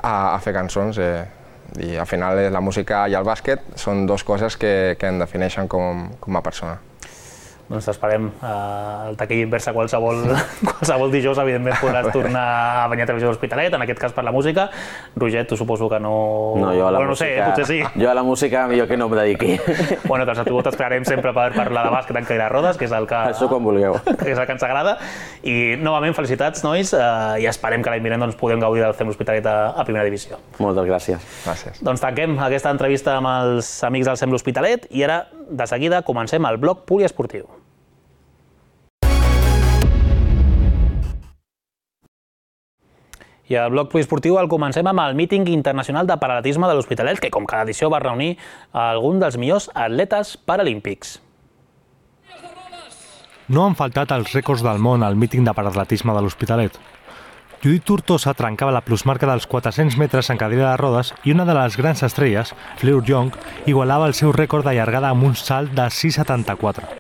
a, a fer cançons eh, i al final la música i el bàsquet són dues coses que, que em defineixen com, com a persona.
Doncs t'esperem al Taquilla Inversa qualsevol, qualsevol dijous, evidentment podràs tornar a venir a Televisió de l'Hospitalet, en aquest cas per la música. Roger, tu suposo que no...
No, jo a la
bueno,
música...
No sé, potser sí.
Jo a la música millor que no em dediqui.
Bueno, doncs a tu t'esperarem sempre per parlar de bàsquet en Cadira de Rodes, que és el que...
Això quan vulgueu.
Que és el que ens agrada. I novament felicitats, nois, eh, i esperem que l'any vinent doncs, puguem gaudir del C E M l'Hospitalet a, a primera divisió.
Moltes gràcies.
Gràcies.
Doncs tanquem aquesta entrevista amb els amics del C E M l'Hospitalet i ara, de seguida, comencem el bloc poliesportiu. I el bloc poliesportiu el comencem amb el míting internacional de paral·atletisme de l'Hospitalet, que com cada edició va reunir algun dels millors atletes paralímpics.
No han faltat els rècords del món al míting de paral·atletisme de l'Hospitalet. Judit Tortosa trencava la plusmarca dels quatre-cents metres en cadira de rodes i una de les grans estrelles, Fleur Jong, igualava el seu rècord de llargada amb un salt de sis coma setanta-quatre.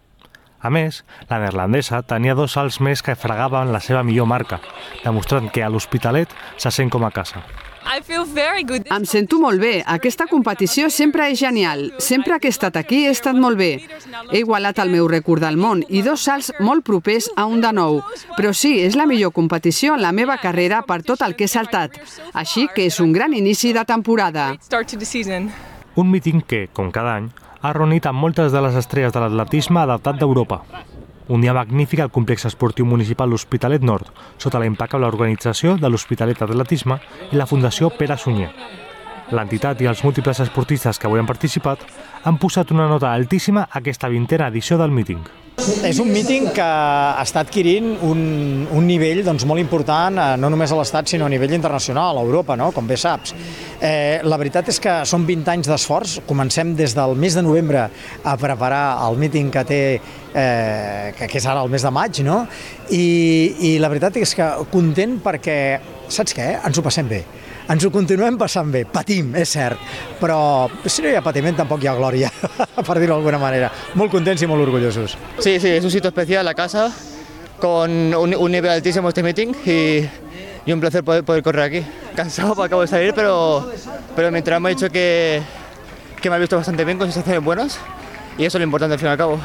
A més, la neerlandesa tenia dos salts més que fregaven la seva millor marca, demostrant que a l'Hospitalet se sent com a casa.
Em sento molt bé. Aquesta competició sempre és genial. Sempre que he estat aquí he estat molt bé. He igualat el meu rècord del món i dos salts molt propers a un de nou. Però sí, és la millor competició en la meva carrera per tot el que he saltat. Així que és un gran inici de temporada.
Un míting que, com cada any, ha reunit amb moltes de les estrelles de l'atletisme adaptat d'Europa. Un dia magnífic al complex esportiu municipal L'Hospitalet Nord, sota la impecable organització de l'Hospitalet Atletisme i la Fundació Pere Sunyer. L'entitat i els múltiples esportistes que avui han participat han posat una nota altíssima a aquesta vintena edició del míting.
És un míting que està adquirint un, un nivell doncs, molt important, no només a l'Estat, sinó a nivell internacional, a Europa, no? Com bé saps. Eh, la veritat és que són vint anys d'esforç. Comencem des del mes de novembre a preparar el míting que té, eh, que, que és ara el mes de maig, no? I, i la veritat és que content perquè, saps què? Ens ho passem bé. Ens ho continuem passant bé, patim, és cert, però si no hi ha patiment tampoc hi ha glòria, per dir-ho d'alguna manera. Molt contents i molt orgullosos.
Sí, sí, es un sitio especial, la casa, con un, un nivel altísimo este meeting y, y un placer poder, poder correr aquí. Cansado, acabo de salir, pero, pero mi entrenador me ha dicho que, que me ha visto bastante bien, con sensaciones buenas, y eso es lo importante al fin y al cabo.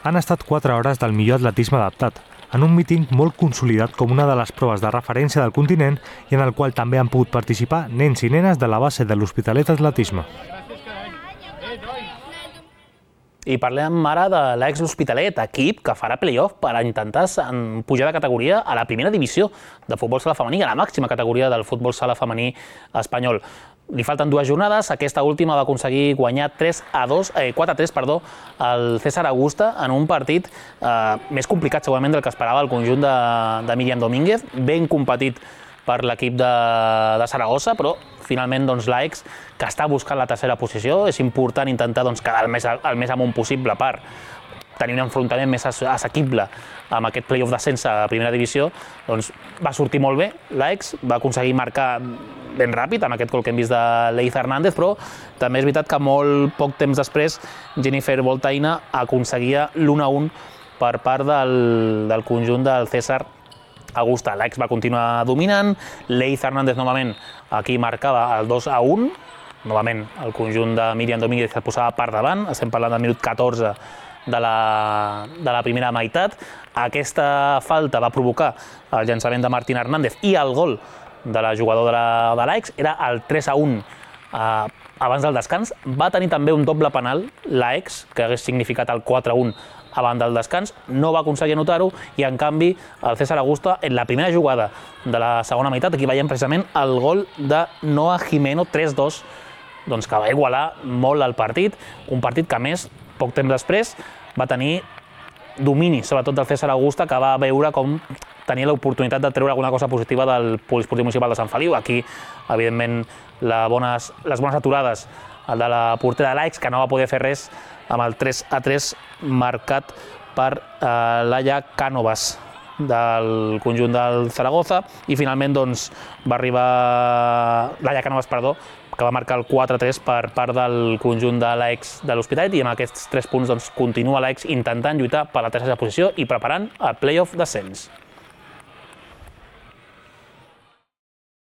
Han estat quatre hores del millor atletisme adaptat, en un míting molt consolidat com una de les proves de referència del continent i en el qual també han pogut participar nens i nenes de la base de l'Hospitalet Atletisme.
I parlem ara de l'ex L'Hospitalet, equip que farà play-off per a intentar pujar de categoria a la primera divisió de futbol sala femení, a la màxima categoria del futbol sala femení espanyol. Li falten dues jornades, aquesta última va aconseguir guanyar quatre a tres al César Augusta en un partit eh, més complicat segurament del que esperava el conjunt de, de Míriam Domínguez, ben competit per l'equip de, de Saragossa, però finalment doncs, l'Aix, que està buscant la tercera posició, és important intentar doncs, quedar el més, el més amunt possible per tenir un enfrontament més assequible amb aquest play-off d'ascens a primera divisió, doncs va sortir molt bé l'Aix, va aconseguir marcar ben ràpid amb aquest gol que hem vist de Leiza Hernández, però també és veritat que molt poc temps després Jennifer Voltaina aconseguia l'u a u per part del, del conjunt del César Augusta. L'Aix va continuar dominant, Leiza Hernández novament aquí marcava el dos a u, novament el conjunt de Míriam Domínguez es posava per davant, estem parlant del minut catorze de la, de la primera meitat. Aquesta falta va provocar el llançament de Martín Hernández i el gol de la jugadora de l'Aix, era el tres a un abans del descans. Va tenir també un doble penal, l'Aix, que hagués significat el quatre a un abans del descans, no va aconseguir anotar-ho, i en canvi el César Augusta, en la primera jugada de la segona meitat, aquí veiem precisament el gol de Noa Jimeno, tres dos, doncs que va igualar molt el partit, un partit que a més, poc temps després, va tenir domini, sobretot del César Augusta, que va veure com tenia l'oportunitat de treure alguna cosa positiva del Poliesportiu Municipal de Sant Feliu. Aquí, evidentment, les bones, les bones aturades, el de la portera de l'Aix, que no va poder fer res amb el tres a tres marcat per eh, Laia Cánovas del conjunt del Zaragoza, i finalment doncs, va arribar Laia Cánovas, perdó, que va marcar el quatre a tres per part del conjunt de l'Aix de l'Hospitalet, i amb aquests tres punts doncs, continua l'Aix intentant lluitar per la tercera posició i preparant el play-off d'ascens.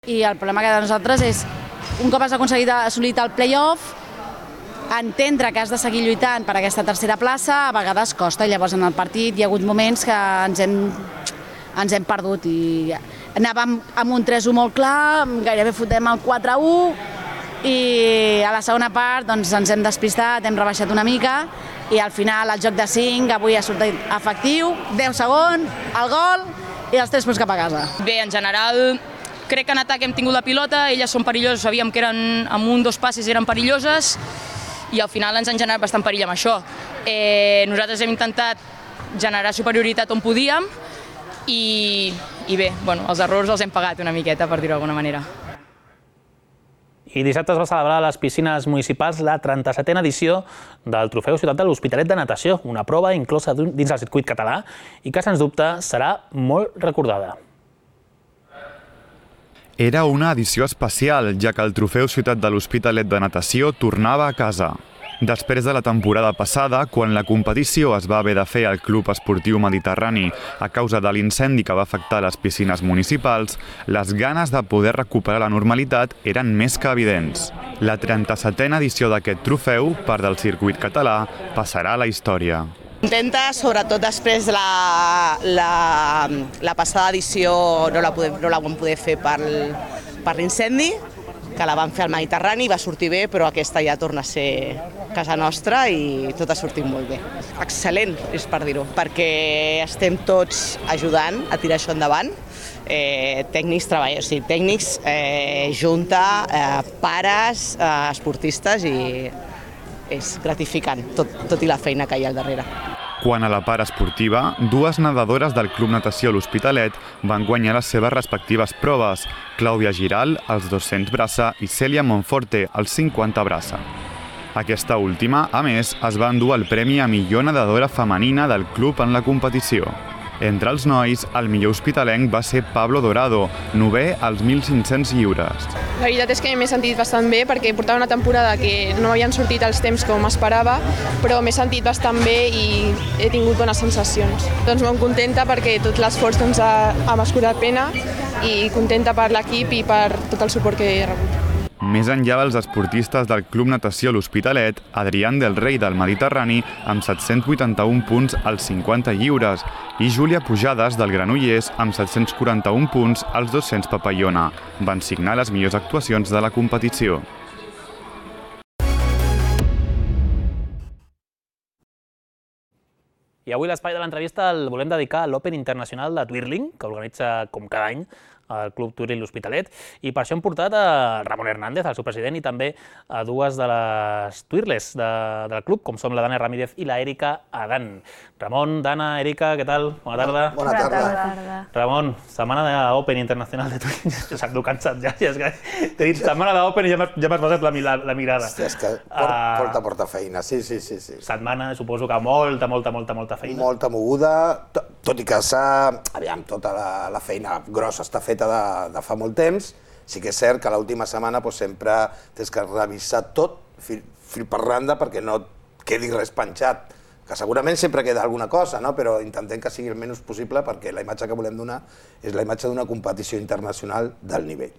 I el problema que de nosaltres és, un cop has aconseguit assolir el play-off, entendre que has de seguir lluitant per aquesta tercera plaça a vegades costa, i llavors en el partit hi ha hagut moments que ens hem, ens hem perdut, i anàvem amb un tres a u molt clar, gairebé fotem el quatre a u, i a la segona part doncs, ens hem despistat, hem rebaixat una mica, i al final el joc de cinc avui ha sortit efectiu, deu segons, el gol i els tres punts cap a casa.
Bé, en general crec que en atac hem tingut la pilota, elles són perilloses, sabíem que eren amb un dos passes eren perilloses, i al final ens han generat bastant perill amb això. Eh, nosaltres hem intentat generar superioritat on podíem, i, i bé, bueno, els errors els hem pagat una miqueta, per dir-ho d'alguna manera.
I dissabte es va celebrar a les piscines municipals la trenta-setena edició del Trofeu Ciutat de l'Hospitalet de Natació, una prova inclosa dins el circuit català i que, sens dubte, serà molt recordada.
Era una edició especial, ja que el Trofeu Ciutat de l'Hospitalet de Natació tornava a casa. Després de la temporada passada, quan la competició es va haver de fer al Club Esportiu Mediterrani a causa de l'incendi que va afectar les piscines municipals, les ganes de poder recuperar la normalitat eren més que evidents. La trenta-setena edició d'aquest trofeu, part del circuit català, passarà a la història.
Contenta, sobretot després de la, la, la passada edició no la, podem, no la vam poder fer per, per l'incendi, que la vam fer al Mediterrani, va sortir bé, però aquesta ja torna a ser casa nostra i tot ha sortit molt bé. Excel·lent, és per dir-ho, perquè estem tots ajudant a tirar això endavant. Eh, tècnics, treballadors, o sigui, tècnics, eh, junta, eh, pares, eh, esportistes, i és gratificant, tot, tot i la feina que hi ha al darrere.
Quan a la part esportiva, dues nedadores del Club Natació L'Hospitalet van guanyar les seves respectives proves, Clàudia Giral, als dos-cents braça, i Cèlia Monforte, als cinquanta braça. Aquesta última, a més, es va endur el premi a millor nedadora femenina del club en la competició. Entre els nois, el millor hospitalenc va ser Pablo Dorado, novè als mil cinc-cents lliures.
La veritat és que m'he sentit bastant bé perquè portava una temporada que no havien sortit els temps com esperava, però m'he sentit bastant bé i he tingut bones sensacions. Doncs molt contenta perquè tot l'esforç doncs, ha, ha mescurat pena, i contenta per l'equip i per tot el suport que he rebut.
Més enllà dels esportistes del Club Natació L'Hospitalet, Adrián del Rei del Mediterrani amb set-cents vuitanta-un punts als cinquanta lliures i Júlia Pujades del Granollers amb set-cents quaranta-un punts als dos-cents papallona. Van signar les millors actuacions de la competició.
I avui l'espai de l'entrevista el volem dedicar a l'Open Internacional de Twirling, que organitza com cada any al Club Twirling L'Hospitalet, i per això hem portat a Ramon Hernández, el seu president, i també a dues de les twirlers de, del club, com són la Dana Ramírez i la Erika Adán. Ramon, Dana, Erika, què tal? Bona tarda.
Bona tarda. Bona tarda.
Ramon, setmana d'Open Internacional de Twirling. S'ha cansat ja, ja és que t'he dit setmana d'Open i ja m'has passat la, la, la mirada.
Hòstia, és que porta, porta, porta feina, sí, sí, sí, sí.
Setmana, suposo que molta, molta, molta, molta feina.
Molta moguda, tot i que s'ha... Aviam, tota la, la feina grossa està feta de, de fa molt temps. Sí que és cert que l'última setmana doncs, sempre tens que revisar tot, fil, fil per randa, perquè no quedi res penjat. Que segurament sempre queda alguna cosa, no? Però intentem que sigui el menys possible perquè la imatge que volem donar és la imatge d'una competició internacional d'alt nivell.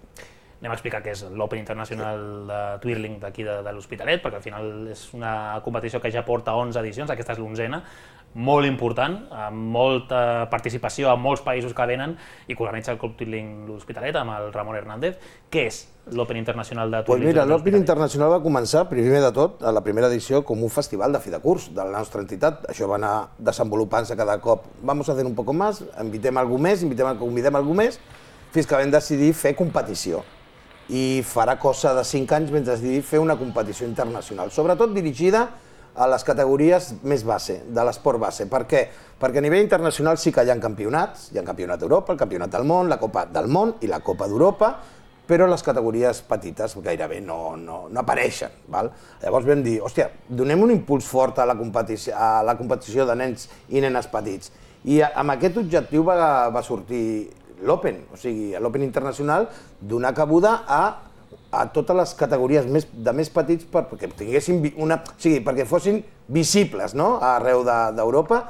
Anem a explicar què és l'Open Internacional de Twirling d'aquí de, de l'Hospitalet, perquè al final és una competició que ja porta onze edicions, aquesta és l'onzena, molt important, amb molta participació, amb molts països que venen, i que organitza el Club Twirling l'Hospitalet amb el Ramon Hernández. Què és l'Open Internacional de Twirling?
Pues mira, l'Open Internacional va començar, primer de tot, a la primera edició, com un festival de fi de curs de la nostra entitat. Això va anar desenvolupant-se cada cop. Vamos a hacer un poco más, invitem algú més, invitem, convidem algú més, fins que vam decidir fer competició. I farà cosa de cinc anys vam decidir fer una competició internacional, sobretot dirigida a les categories més base, de l'esport base. Per què? Perquè a nivell internacional sí que hi ha campionats, hi ha campionat d'Europa, el campionat del món, la Copa del món i la Copa d'Europa, però les categories petites gairebé no, no, no apareixen. Val? Llavors vam dir, hòstia, donem un impuls fort a la competició, a la competició de nens i nenes petits. I amb aquest objectiu va, va sortir l'Open, o sigui, l'Open Internacional, donar cabuda a, a totes les categories més, de més petits per, perquè tinguessin una, o sigui, perquè fossin visibles, no?, arreu d'Europa.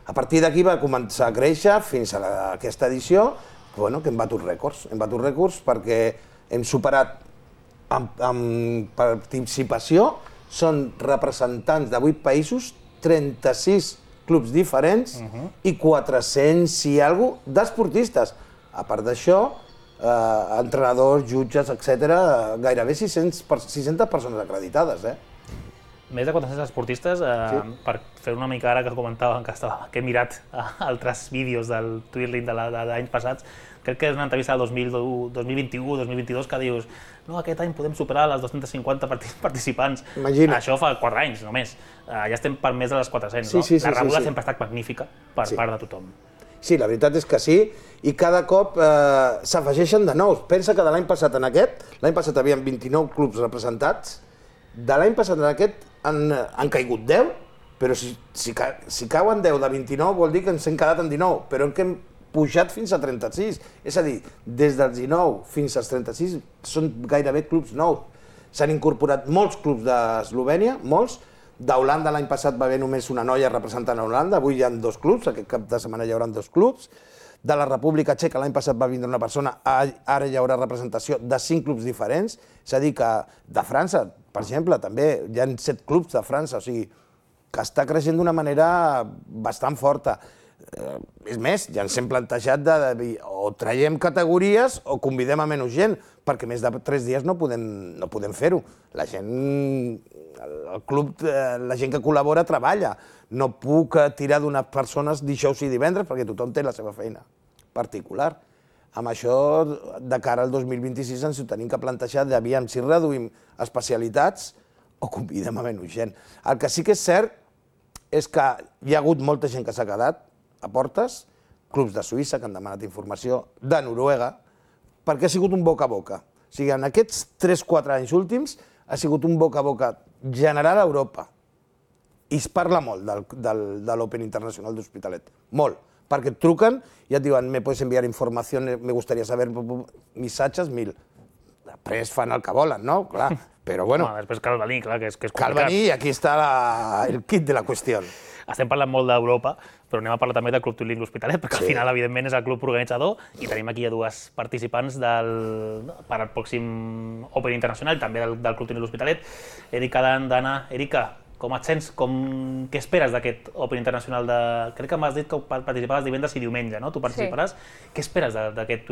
A partir d'aquí va començar a créixer fins a la, aquesta edició, bueno, que hem batut rècords. Hem batut rècords perquè hem superat amb, amb participació, són representants de vuit països, trenta-sis clubs diferents uh-huh. i quatre-cents i alguna cosa d'esportistes. A part d'això, eh, entrenadors, jutges, etcètera, gairebé sis-centes persones acreditades. Eh?
Més de quatre-cents esportistes, eh, sí. Per fer una mica ara que comentàvem que, estava, que he mirat altres vídeos del Twirling de l'any passats, crec que és una entrevista del dos mil vint-i-u dos mil vint-i-dos que dius no, aquest any podem superar les dos-cents cinquanta participants.
Imagina.
Això fa quatre anys només. Eh, ja estem per més de les quatre-cents.
Sí,
no?
sí, sí,
la rebuda
sí, sí.
sempre ha estat magnífica per
sí.
part de tothom.
Sí, la veritat és que sí, i cada cop eh, s'afegeixen de nous. Pensa que de l'any passat en aquest, l'any passat hi havia vint-i-nou clubs representats, de l'any passat en aquest han, han caigut deu, però si, si, si cauen deu de vint-i-nou vol dir que ens hem quedat en dinou, però que hem pujat fins a trenta-sis. És a dir, des dels dinou fins als trenta-sis són gairebé clubs nous. S'han incorporat molts clubs d'Eslovènia, molts. D'Holanda l'any passat va haver només una noia representant a Holanda, avui hi ha dos clubs, aquest cap de setmana hi haurà dos clubs. De la República Txeca l'any passat va vindre una persona, ara hi haurà representació de cinc clubs diferents, és a dir que de França, per exemple, també hi ha set clubs de França, o sigui, que està creixent d'una manera bastant forta. Eh, és més, ja ens hem plantejat de, de dir o traiem categories o convidem a menys gent, perquè més de tres dies no podem, no podem fer-ho. La gent, el club, la gent que col·labora treballa. No puc tirar d'unes persones dijous i divendres perquè tothom té la seva feina particular. Amb això, de cara al dos mil vint-i-sis, ens ho tenim que plantejar d'aviam si reduïm especialitats o convidem a menys gent. El que sí que és cert és que hi ha hagut molta gent que s'ha quedat a portes, clubs de Suïssa que han demanat informació, de Noruega, perquè ha sigut un boca a boca. O sigui, en aquests tres quatre anys últims ha sigut un boca a boca general a Europa. I es parla molt del, del, de l'Open Internacional d'Hospitalet, molt, perquè et truquen i et diuen me puedes enviar informació, me gustaría saber missatges, mil. Després fan el que volen, no? Clar, però bueno.
No, després cal venir, clar, que és, que és
cal
complicat.
venir i aquí està la, el kit de la qüestió.
Estem parlant molt d'Europa, però anem a parlar també del Club Twirling l'Hospitalet, perquè sí. Al final, evidentment, és el club organitzador i tenim aquí a dues participants del, per al pròxim Open Internacional, també del, del Club Twirling l'Hospitalet. Erika Dan, Dana. Erika, com et sents? Com, què esperes d'aquest Open Internacional? De... Crec que m'has dit que participaves divendres i diumenge, no? Tu participaràs. Sí. Què esperes d'aquest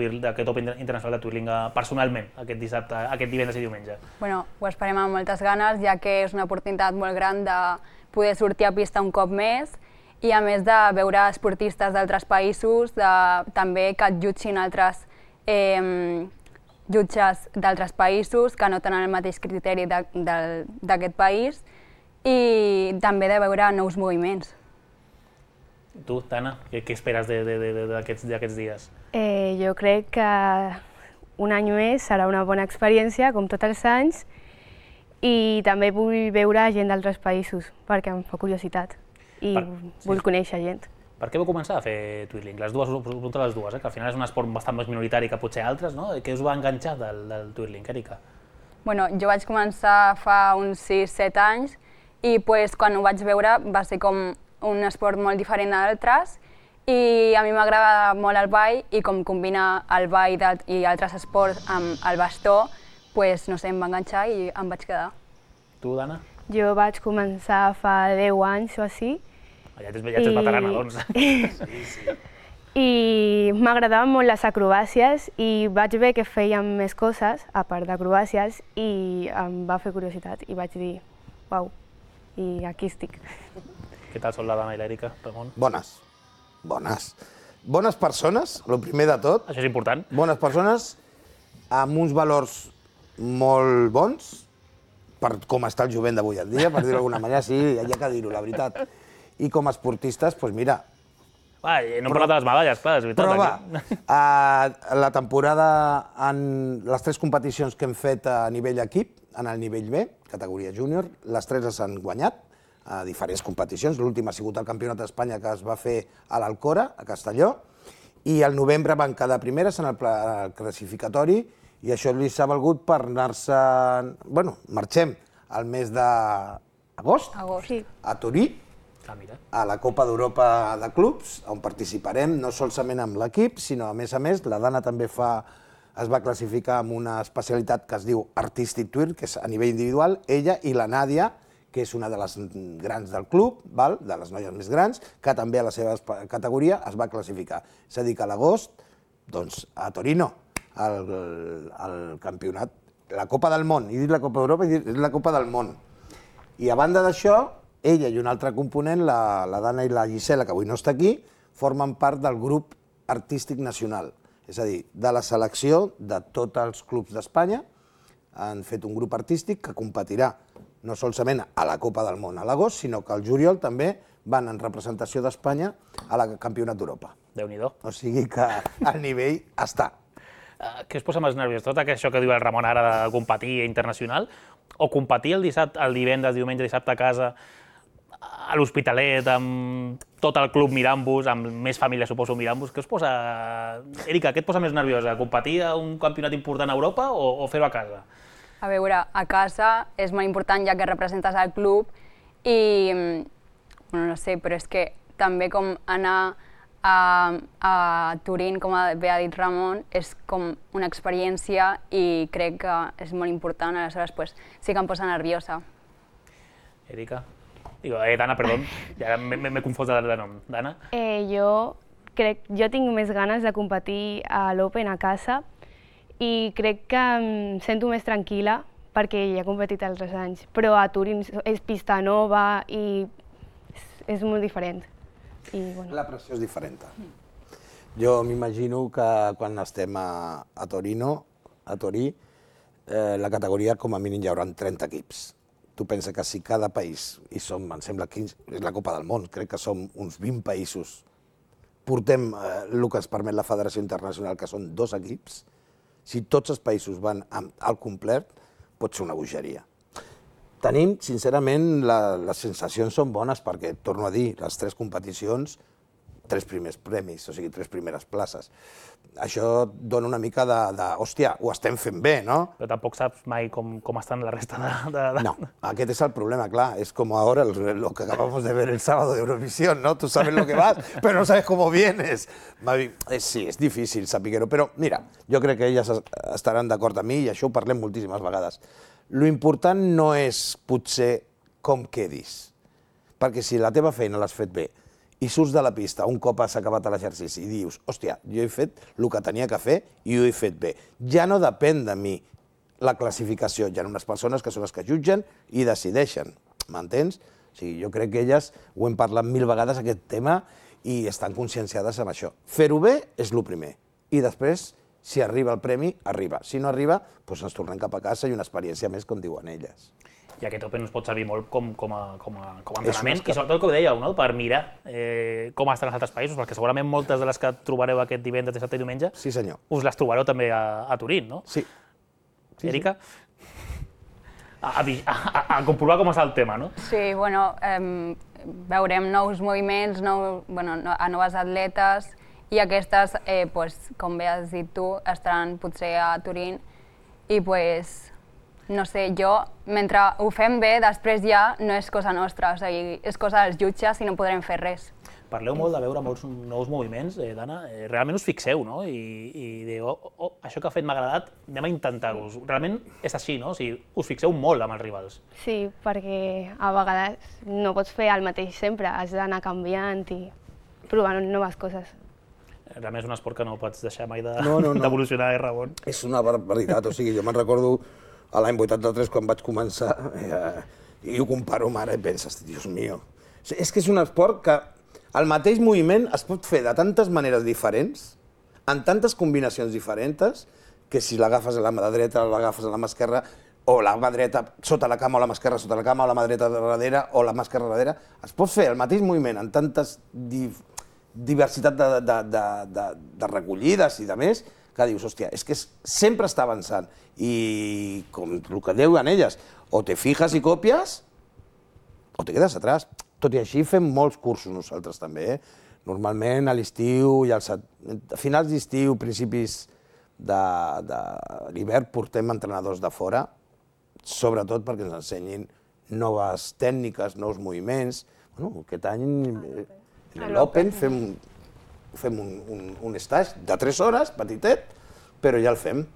Open Internacional de Twirling personalment, aquest dissabte, aquest divendres i diumenge?
Bueno, ho esperem amb moltes ganes, ja que és una oportunitat molt gran de poder sortir a pista un cop més i a més de veure esportistes d'altres països, de, també que et jutgin altres eh, jutges d'altres països que no tenen el mateix criteri d'aquest país i també de veure nous moviments.
Tu, Tana, què, què esperes d'aquests dies?
Eh, jo crec que un any més serà una bona experiència, com tots els anys, i també vull veure gent d'altres països, perquè em fa curiositat i per, vull sí. conèixer gent.
Per què vau començar a fer Twirling? Les dues, us les dues, eh? Que al final és un esport bastant més minoritari que potser altres, no? Què us va enganxar del, del Twirling, Erika?
Bueno, jo vaig començar fa uns sis set anys i pues, quan ho vaig veure va ser com un esport molt diferent d'altres I a mi m'agrada molt el ball i com combina el ball i altres esports amb el bastó, doncs, no sé, em va enganxar i em vaig quedar.
Tu, Dana?
Jo vaig començar fa deu anys o així.
Ja ets veterana, doncs. Sí, sí.
I m'agradaven molt les acrobàcies i vaig veure que fèiem més coses, a part d'acrobàcies, i em va fer curiositat i vaig dir, uau, i aquí estic.
Què tal són la Dana i l'Èrica, Ramon?
Bones, bones. Bones persones, el primer de tot.
Això és important.
Bones persones, amb uns valors molt bons, per com està el jovent d'avui en dia, per dir-ho d'alguna manera, sí, hi ha que dir-ho, la veritat. I com a esportistes, doncs mira...
Va, no hem parlat de les medalles, clar, és veritat.
Però va, la temporada, en les tres competicions que hem fet a nivell equip, en el nivell B, categoria júnior, les tres les han guanyat a diferents competicions. L'última ha sigut el Campionat d'Espanya que es va fer a l'Alcora, a Castelló, i al novembre van quedar primeres en el classificatori i això li s'ha valgut per anar-se... Bueno, marxem al mes d'agost a Torí, a la Copa d'Europa de Clubs, on participarem no solament amb l'equip, sinó a més a més, la Dana també fa, es va classificar amb una especialitat que es diu Artistic Twirt, que és a nivell individual, ella i la Nàdia, que és una de les grans del club, val? De les noies més grans, que també a la seva categoria es va classificar. És a dir, que a l'agost, doncs, a Torino, el, el campionat, la Copa del Món, he dit la Copa d'Europa, he dit la Copa del Món. I a banda d'això, ella i un altre component, la, la Dana i la Gisela, que avui no està aquí, formen part del grup artístic nacional. És a dir, de la selecció de tots els clubs d'Espanya, han fet un grup artístic que competirà no solament a la Copa del Món a l'agost, sinó que al juliol també van en representació d'Espanya a la Campionat d'Europa.
Déu-n'hi-do.
O sigui que el nivell està.
Què us posa més nerviós? Tot això que diu el Ramon ara de competir internacional, o competir el dissabte, el divendres, diumenge, dissabte a casa, a l'Hospitalet, amb tot el club mirant-vos, amb més família, suposo, mirant-vos, què us posa... Èrica, què et posa més nerviosa? Competir a un campionat important a Europa o, o fer-ho a casa?
A veure, a casa és molt important ja que representes el club i, bueno, no sé, però és que també com anar a, a Turín, com bé ha dit Ramon, és com una experiència i crec que és molt important, aleshores pues, sí que em posa nerviosa.
Èrica? Digo, eh, Dana, perdó, ja m'he confós de nom. Dana?
Eh, jo crec, jo tinc més ganes de competir a l'Open a casa i crec que em sento més tranquil·la perquè ja he competit altres anys, però a Turín és pista nova i és, és molt diferent. I, bueno.
La pressió és diferent. Jo m'imagino que quan estem a, a Torino, a Torí, eh, la categoria com a mínim hi haurà trenta equips. Tu pensa que si cada país, i som, em sembla, quinze, és la Copa del Món, crec que som uns vint països, portem eh, el que es permet la Federació Internacional, que són dos equips, si tots els països van al complet, pot ser una bogeria. Tenim, sincerament, la, les sensacions són bones perquè, torno a dir, les tres competicions, tres primers premis, o sigui, tres primeres places. Això dona una mica de, de hòstia, ho estem fent bé, no?
Però tampoc saps mai com, com estan la resta de, de, de...
No, aquest és el problema, clar. És com ara el, lo que acabamos de ver el sábado de Eurovisión, ¿no? Tú sabes lo que vas, pero no sabes cómo vienes. Sí, és difícil saber-ho, però mira, jo crec que elles estaran d'acord amb mi i això ho parlem moltíssimes vegades. Lo important no és potser com quedis, perquè si la teva feina l'has fet bé i surts de la pista un cop has acabat l'exercici i dius, hòstia, jo he fet el que tenia que fer i ho he fet bé. Ja no depèn de mi la classificació, hi ha unes persones que són les que jutgen i decideixen, m'entens? O sigui, jo crec que elles ho hem parlat mil vegades, aquest tema, i estan conscienciades amb això. Fer-ho bé és el primer, i després, si arriba el premi, arriba. Si no arriba, doncs ens tornem cap a casa i una experiència més, com diuen elles.
I aquest Open us pot servir molt com, com, a, com, a, com a entrenament, i sobretot el que ho dèieu, no? Per mirar eh, com estan els altres països, perquè segurament moltes de les que trobareu aquest divendres, dissabte i diumenge,
sí, senyor,
us les trobareu també a, a Turín, no?
Sí. sí
Èrica? Sí. A, a, a, a comprovar com està el tema, no?
Sí, bueno, eh, veurem nous moviments, nou, bueno, a noves atletes, i aquestes, eh, pues, com bé has dit tu, estaran potser a Turín, i pues, no sé, jo, mentre ho fem bé, després ja no és cosa nostra, o sigui, és cosa dels jutges i no podrem fer res.
Parleu molt de veure molts nous moviments, eh, Dana, eh, realment us fixeu, no? I, i diu, oh, oh, això que ha fet m'ha agradat, anem a intentar-ho. Realment és així, no? O sigui, us fixeu molt amb els rivals.
Sí, perquè a vegades no pots fer el mateix sempre, has d'anar canviant i provant noves coses.
Realment és un esport que no pots deixar mai de-
No, no, no.
d'evolucionar, eh, Ramon?
És una barbaritat, o sigui, jo me'n recordo a l'any vuitanta-tres quan vaig començar eh, i ho comparo amb ara i penses, Dios mío. És que és un esport que el mateix moviment es pot fer de tantes maneres diferents, en tantes combinacions diferents, que si l'agafes a la mà dreta, l'agafes a la mà esquerra, o la mà dreta sota la cama o la mà esquerra sota la cama, o la mà dreta darrere o la mà esquerra darrere, es pot fer el mateix moviment en tantes di diversitat de, de, de, de, de recollides i de més, que dius, hòstia, és que sempre està avançant. I com el que diuen elles, o te fijas i copies, o te quedes atrás. Tot i així fem molts cursos nosaltres també, eh? Normalment a l'estiu i als, a finals d'estiu, principis de, de l'hivern, portem entrenadors de fora, sobretot perquè ens ensenyin noves tècniques, nous moviments. Bueno, aquest any, en l'Open, fem, fem un, un, un stage de tres hores, petitet, però ja el fem.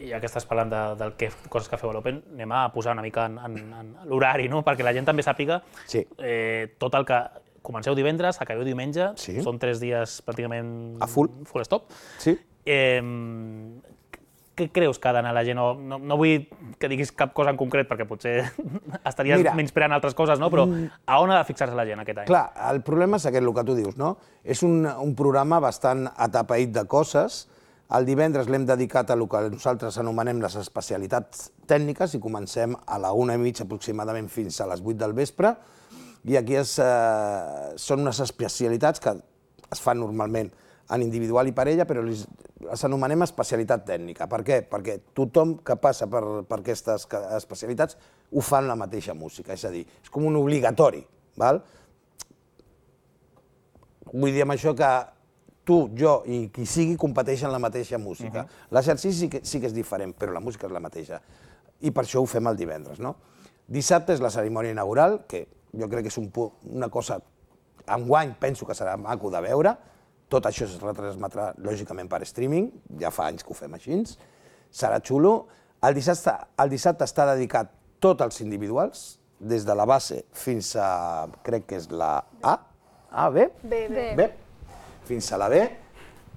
Ja que estàs parlant de, del que, coses que feu a l'Open, anem a posar una mica en, en, en l'horari, no? Perquè la gent també sàpiga
sí.
eh, tot el que... Comenceu divendres, acabeu diumenge,
sí.
Són tres dies pràcticament...
A full.
Full stop.
Sí.
Eh, què creus que ha d'anar la gent? No, no, no vull que diguis cap cosa en concret, perquè potser estaries Mira, menyspreant altres coses, no? Però a on ha de fixar-se la gent aquest any?
Clar, el problema és aquest, el que tu dius, no? És un, un programa bastant atapeït de coses. El divendres l'hem dedicat a el que nosaltres anomenem les especialitats tècniques i comencem a la una i mitja aproximadament fins a les vuit del vespre. I aquí és, eh, són unes especialitats que es fan normalment en individual i parella, però les, les anomenem especialitat tècnica. Per què? Perquè tothom que passa per, per aquestes especialitats ho fa en la mateixa música, és a dir, és com un obligatori. Val? Vull dir amb això que tu, jo i qui sigui competeixen la mateixa música. Uh-huh. L'exercici sí, que, sí que és diferent, però la música és la mateixa. I per això ho fem el divendres, no? Dissabte és la cerimònia inaugural, que jo crec que és un, una cosa... Enguany penso que serà maco de veure. Tot això es retransmetrà, lògicament, per streaming. Ja fa anys que ho fem així. Serà xulo. El dissabte, el dissabte està dedicat tot als individuals, des de la base fins a... crec que és la A. A, B?
B.
B. B. Fins a la B,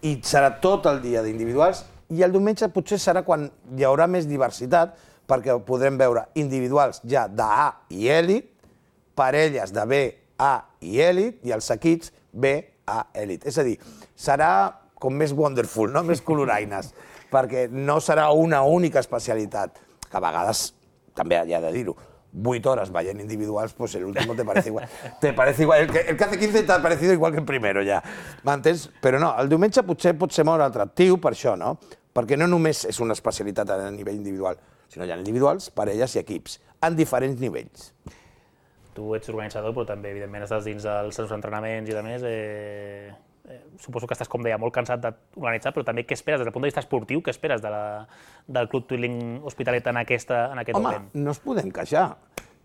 i serà tot el dia d'individuals, i el diumenge potser serà quan hi haurà més diversitat, perquè podrem veure individuals ja d'A i èlit, parelles de B, A i èlit, i els equips B, A, èlit. És a dir, serà com més wonderful, no? Més coloraines, perquè no serà una única especialitat, que a vegades, també hi ha de dir-ho, vuit hores veient individuals, pues el último te parece igual. Te parece igual. El que, el que hace quince te ha parecido igual que el primero, ja. M'entens? Però no, el diumenge potser pot ser molt atractiu per això, no? Perquè no només és una especialitat a nivell individual, sinó hi ha individuals, parelles i equips, en diferents nivells.
Tu ets organitzador, però també, evidentment, estàs dins dels seus entrenaments i de més. Eh, eh, suposo que estàs, com deia, molt cansat d'organitzar, però també què esperes des del punt de vista esportiu? Què esperes de la, del Club Twilling Hospitalet en, aquesta, en aquest
Home,
moment?
no es podem queixar.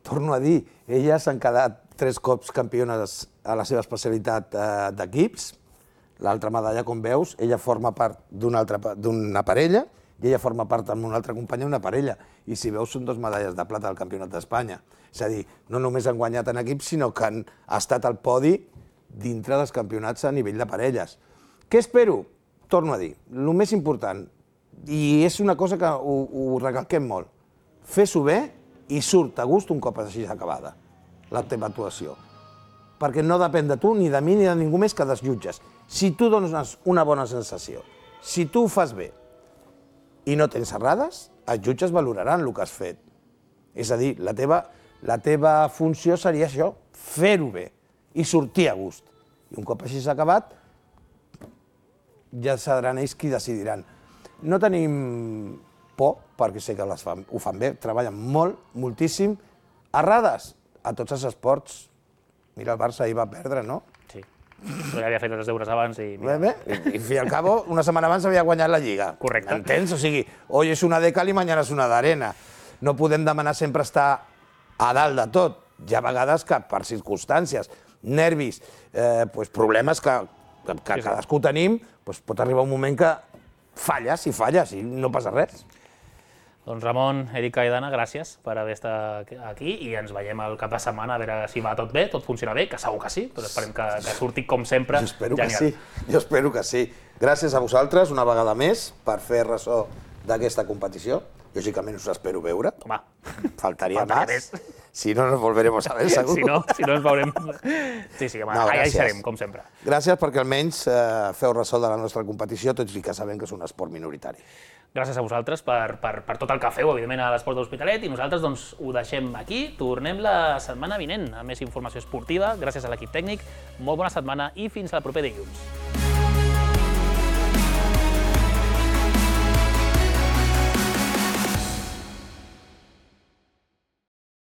Torno a dir, elles han quedat tres cops campiones a la seva especialitat eh, d'equips. L'altra medalla, com veus, ella forma part d'una d'una parella i ella forma part amb una altra companya d'una parella. I si veus, són dues medalles de plata al Campionat d'Espanya. És a dir, no només han guanyat en equips, sinó que han estat al podi dintre dels campionats a nivell de parelles. Què espero? Torno a dir, el més important, i és una cosa que ho, ho recalquem molt, fes-ho bé i surt a gust un cop així acabada la teva actuació. Perquè no depèn de tu, ni de mi, ni de ningú més que dels jutges. Si tu dones una bona sensació, si tu ho fas bé i no tens errades, els jutges valoraran el que has fet. És a dir, la teva, la teva funció seria això, fer-ho bé i sortir a gust. I un cop així s'ha acabat, ja seran ells qui decidiran. No tenim por, perquè sé que les fan, ho fan bé, treballen molt, moltíssim. Errades a tots els esports. Mira, el Barça ahir va perdre, no?
Sí, però ja havia fet els deures abans i...
Bé, bé, i fi al cabo, una setmana abans havia guanyat la Lliga.
Correcte.
Entens? O sigui, hoy és una de cal i mañana és una d'arena. No podem demanar sempre estar a dalt de tot. Hi ha vegades que per circumstàncies nervis, eh, pues problemes que, que, que cadascú tenim, pues pot arribar un moment que falles i falles i no passa res.
Doncs Ramon, Erika i Dana, gràcies per haver estat aquí i ens veiem el cap de setmana a veure si va tot bé, tot funciona bé, que segur que sí, però esperem que, que surti com sempre
jo espero
genial.
Que sí, jo espero que sí. Gràcies a vosaltres una vegada més per fer ressò d'aquesta competició. Lògicament us espero veure.
Home,
faltaria més. Si no, nos volveremos a ver, segur.
Si no, si no ens veurem... Sí, sí, home, no, allà hi serem, com sempre.
Gràcies perquè almenys eh, feu ressò de la nostra competició, tot i que sabem que és un esport minoritari.
Gràcies a vosaltres per, per, per tot el que feu, evidentment, a l'Esport de l'Hospitalet, i nosaltres doncs, ho deixem aquí. Tornem la setmana vinent amb més informació esportiva. Gràcies a l'equip tècnic, molt bona setmana i fins al proper dilluns.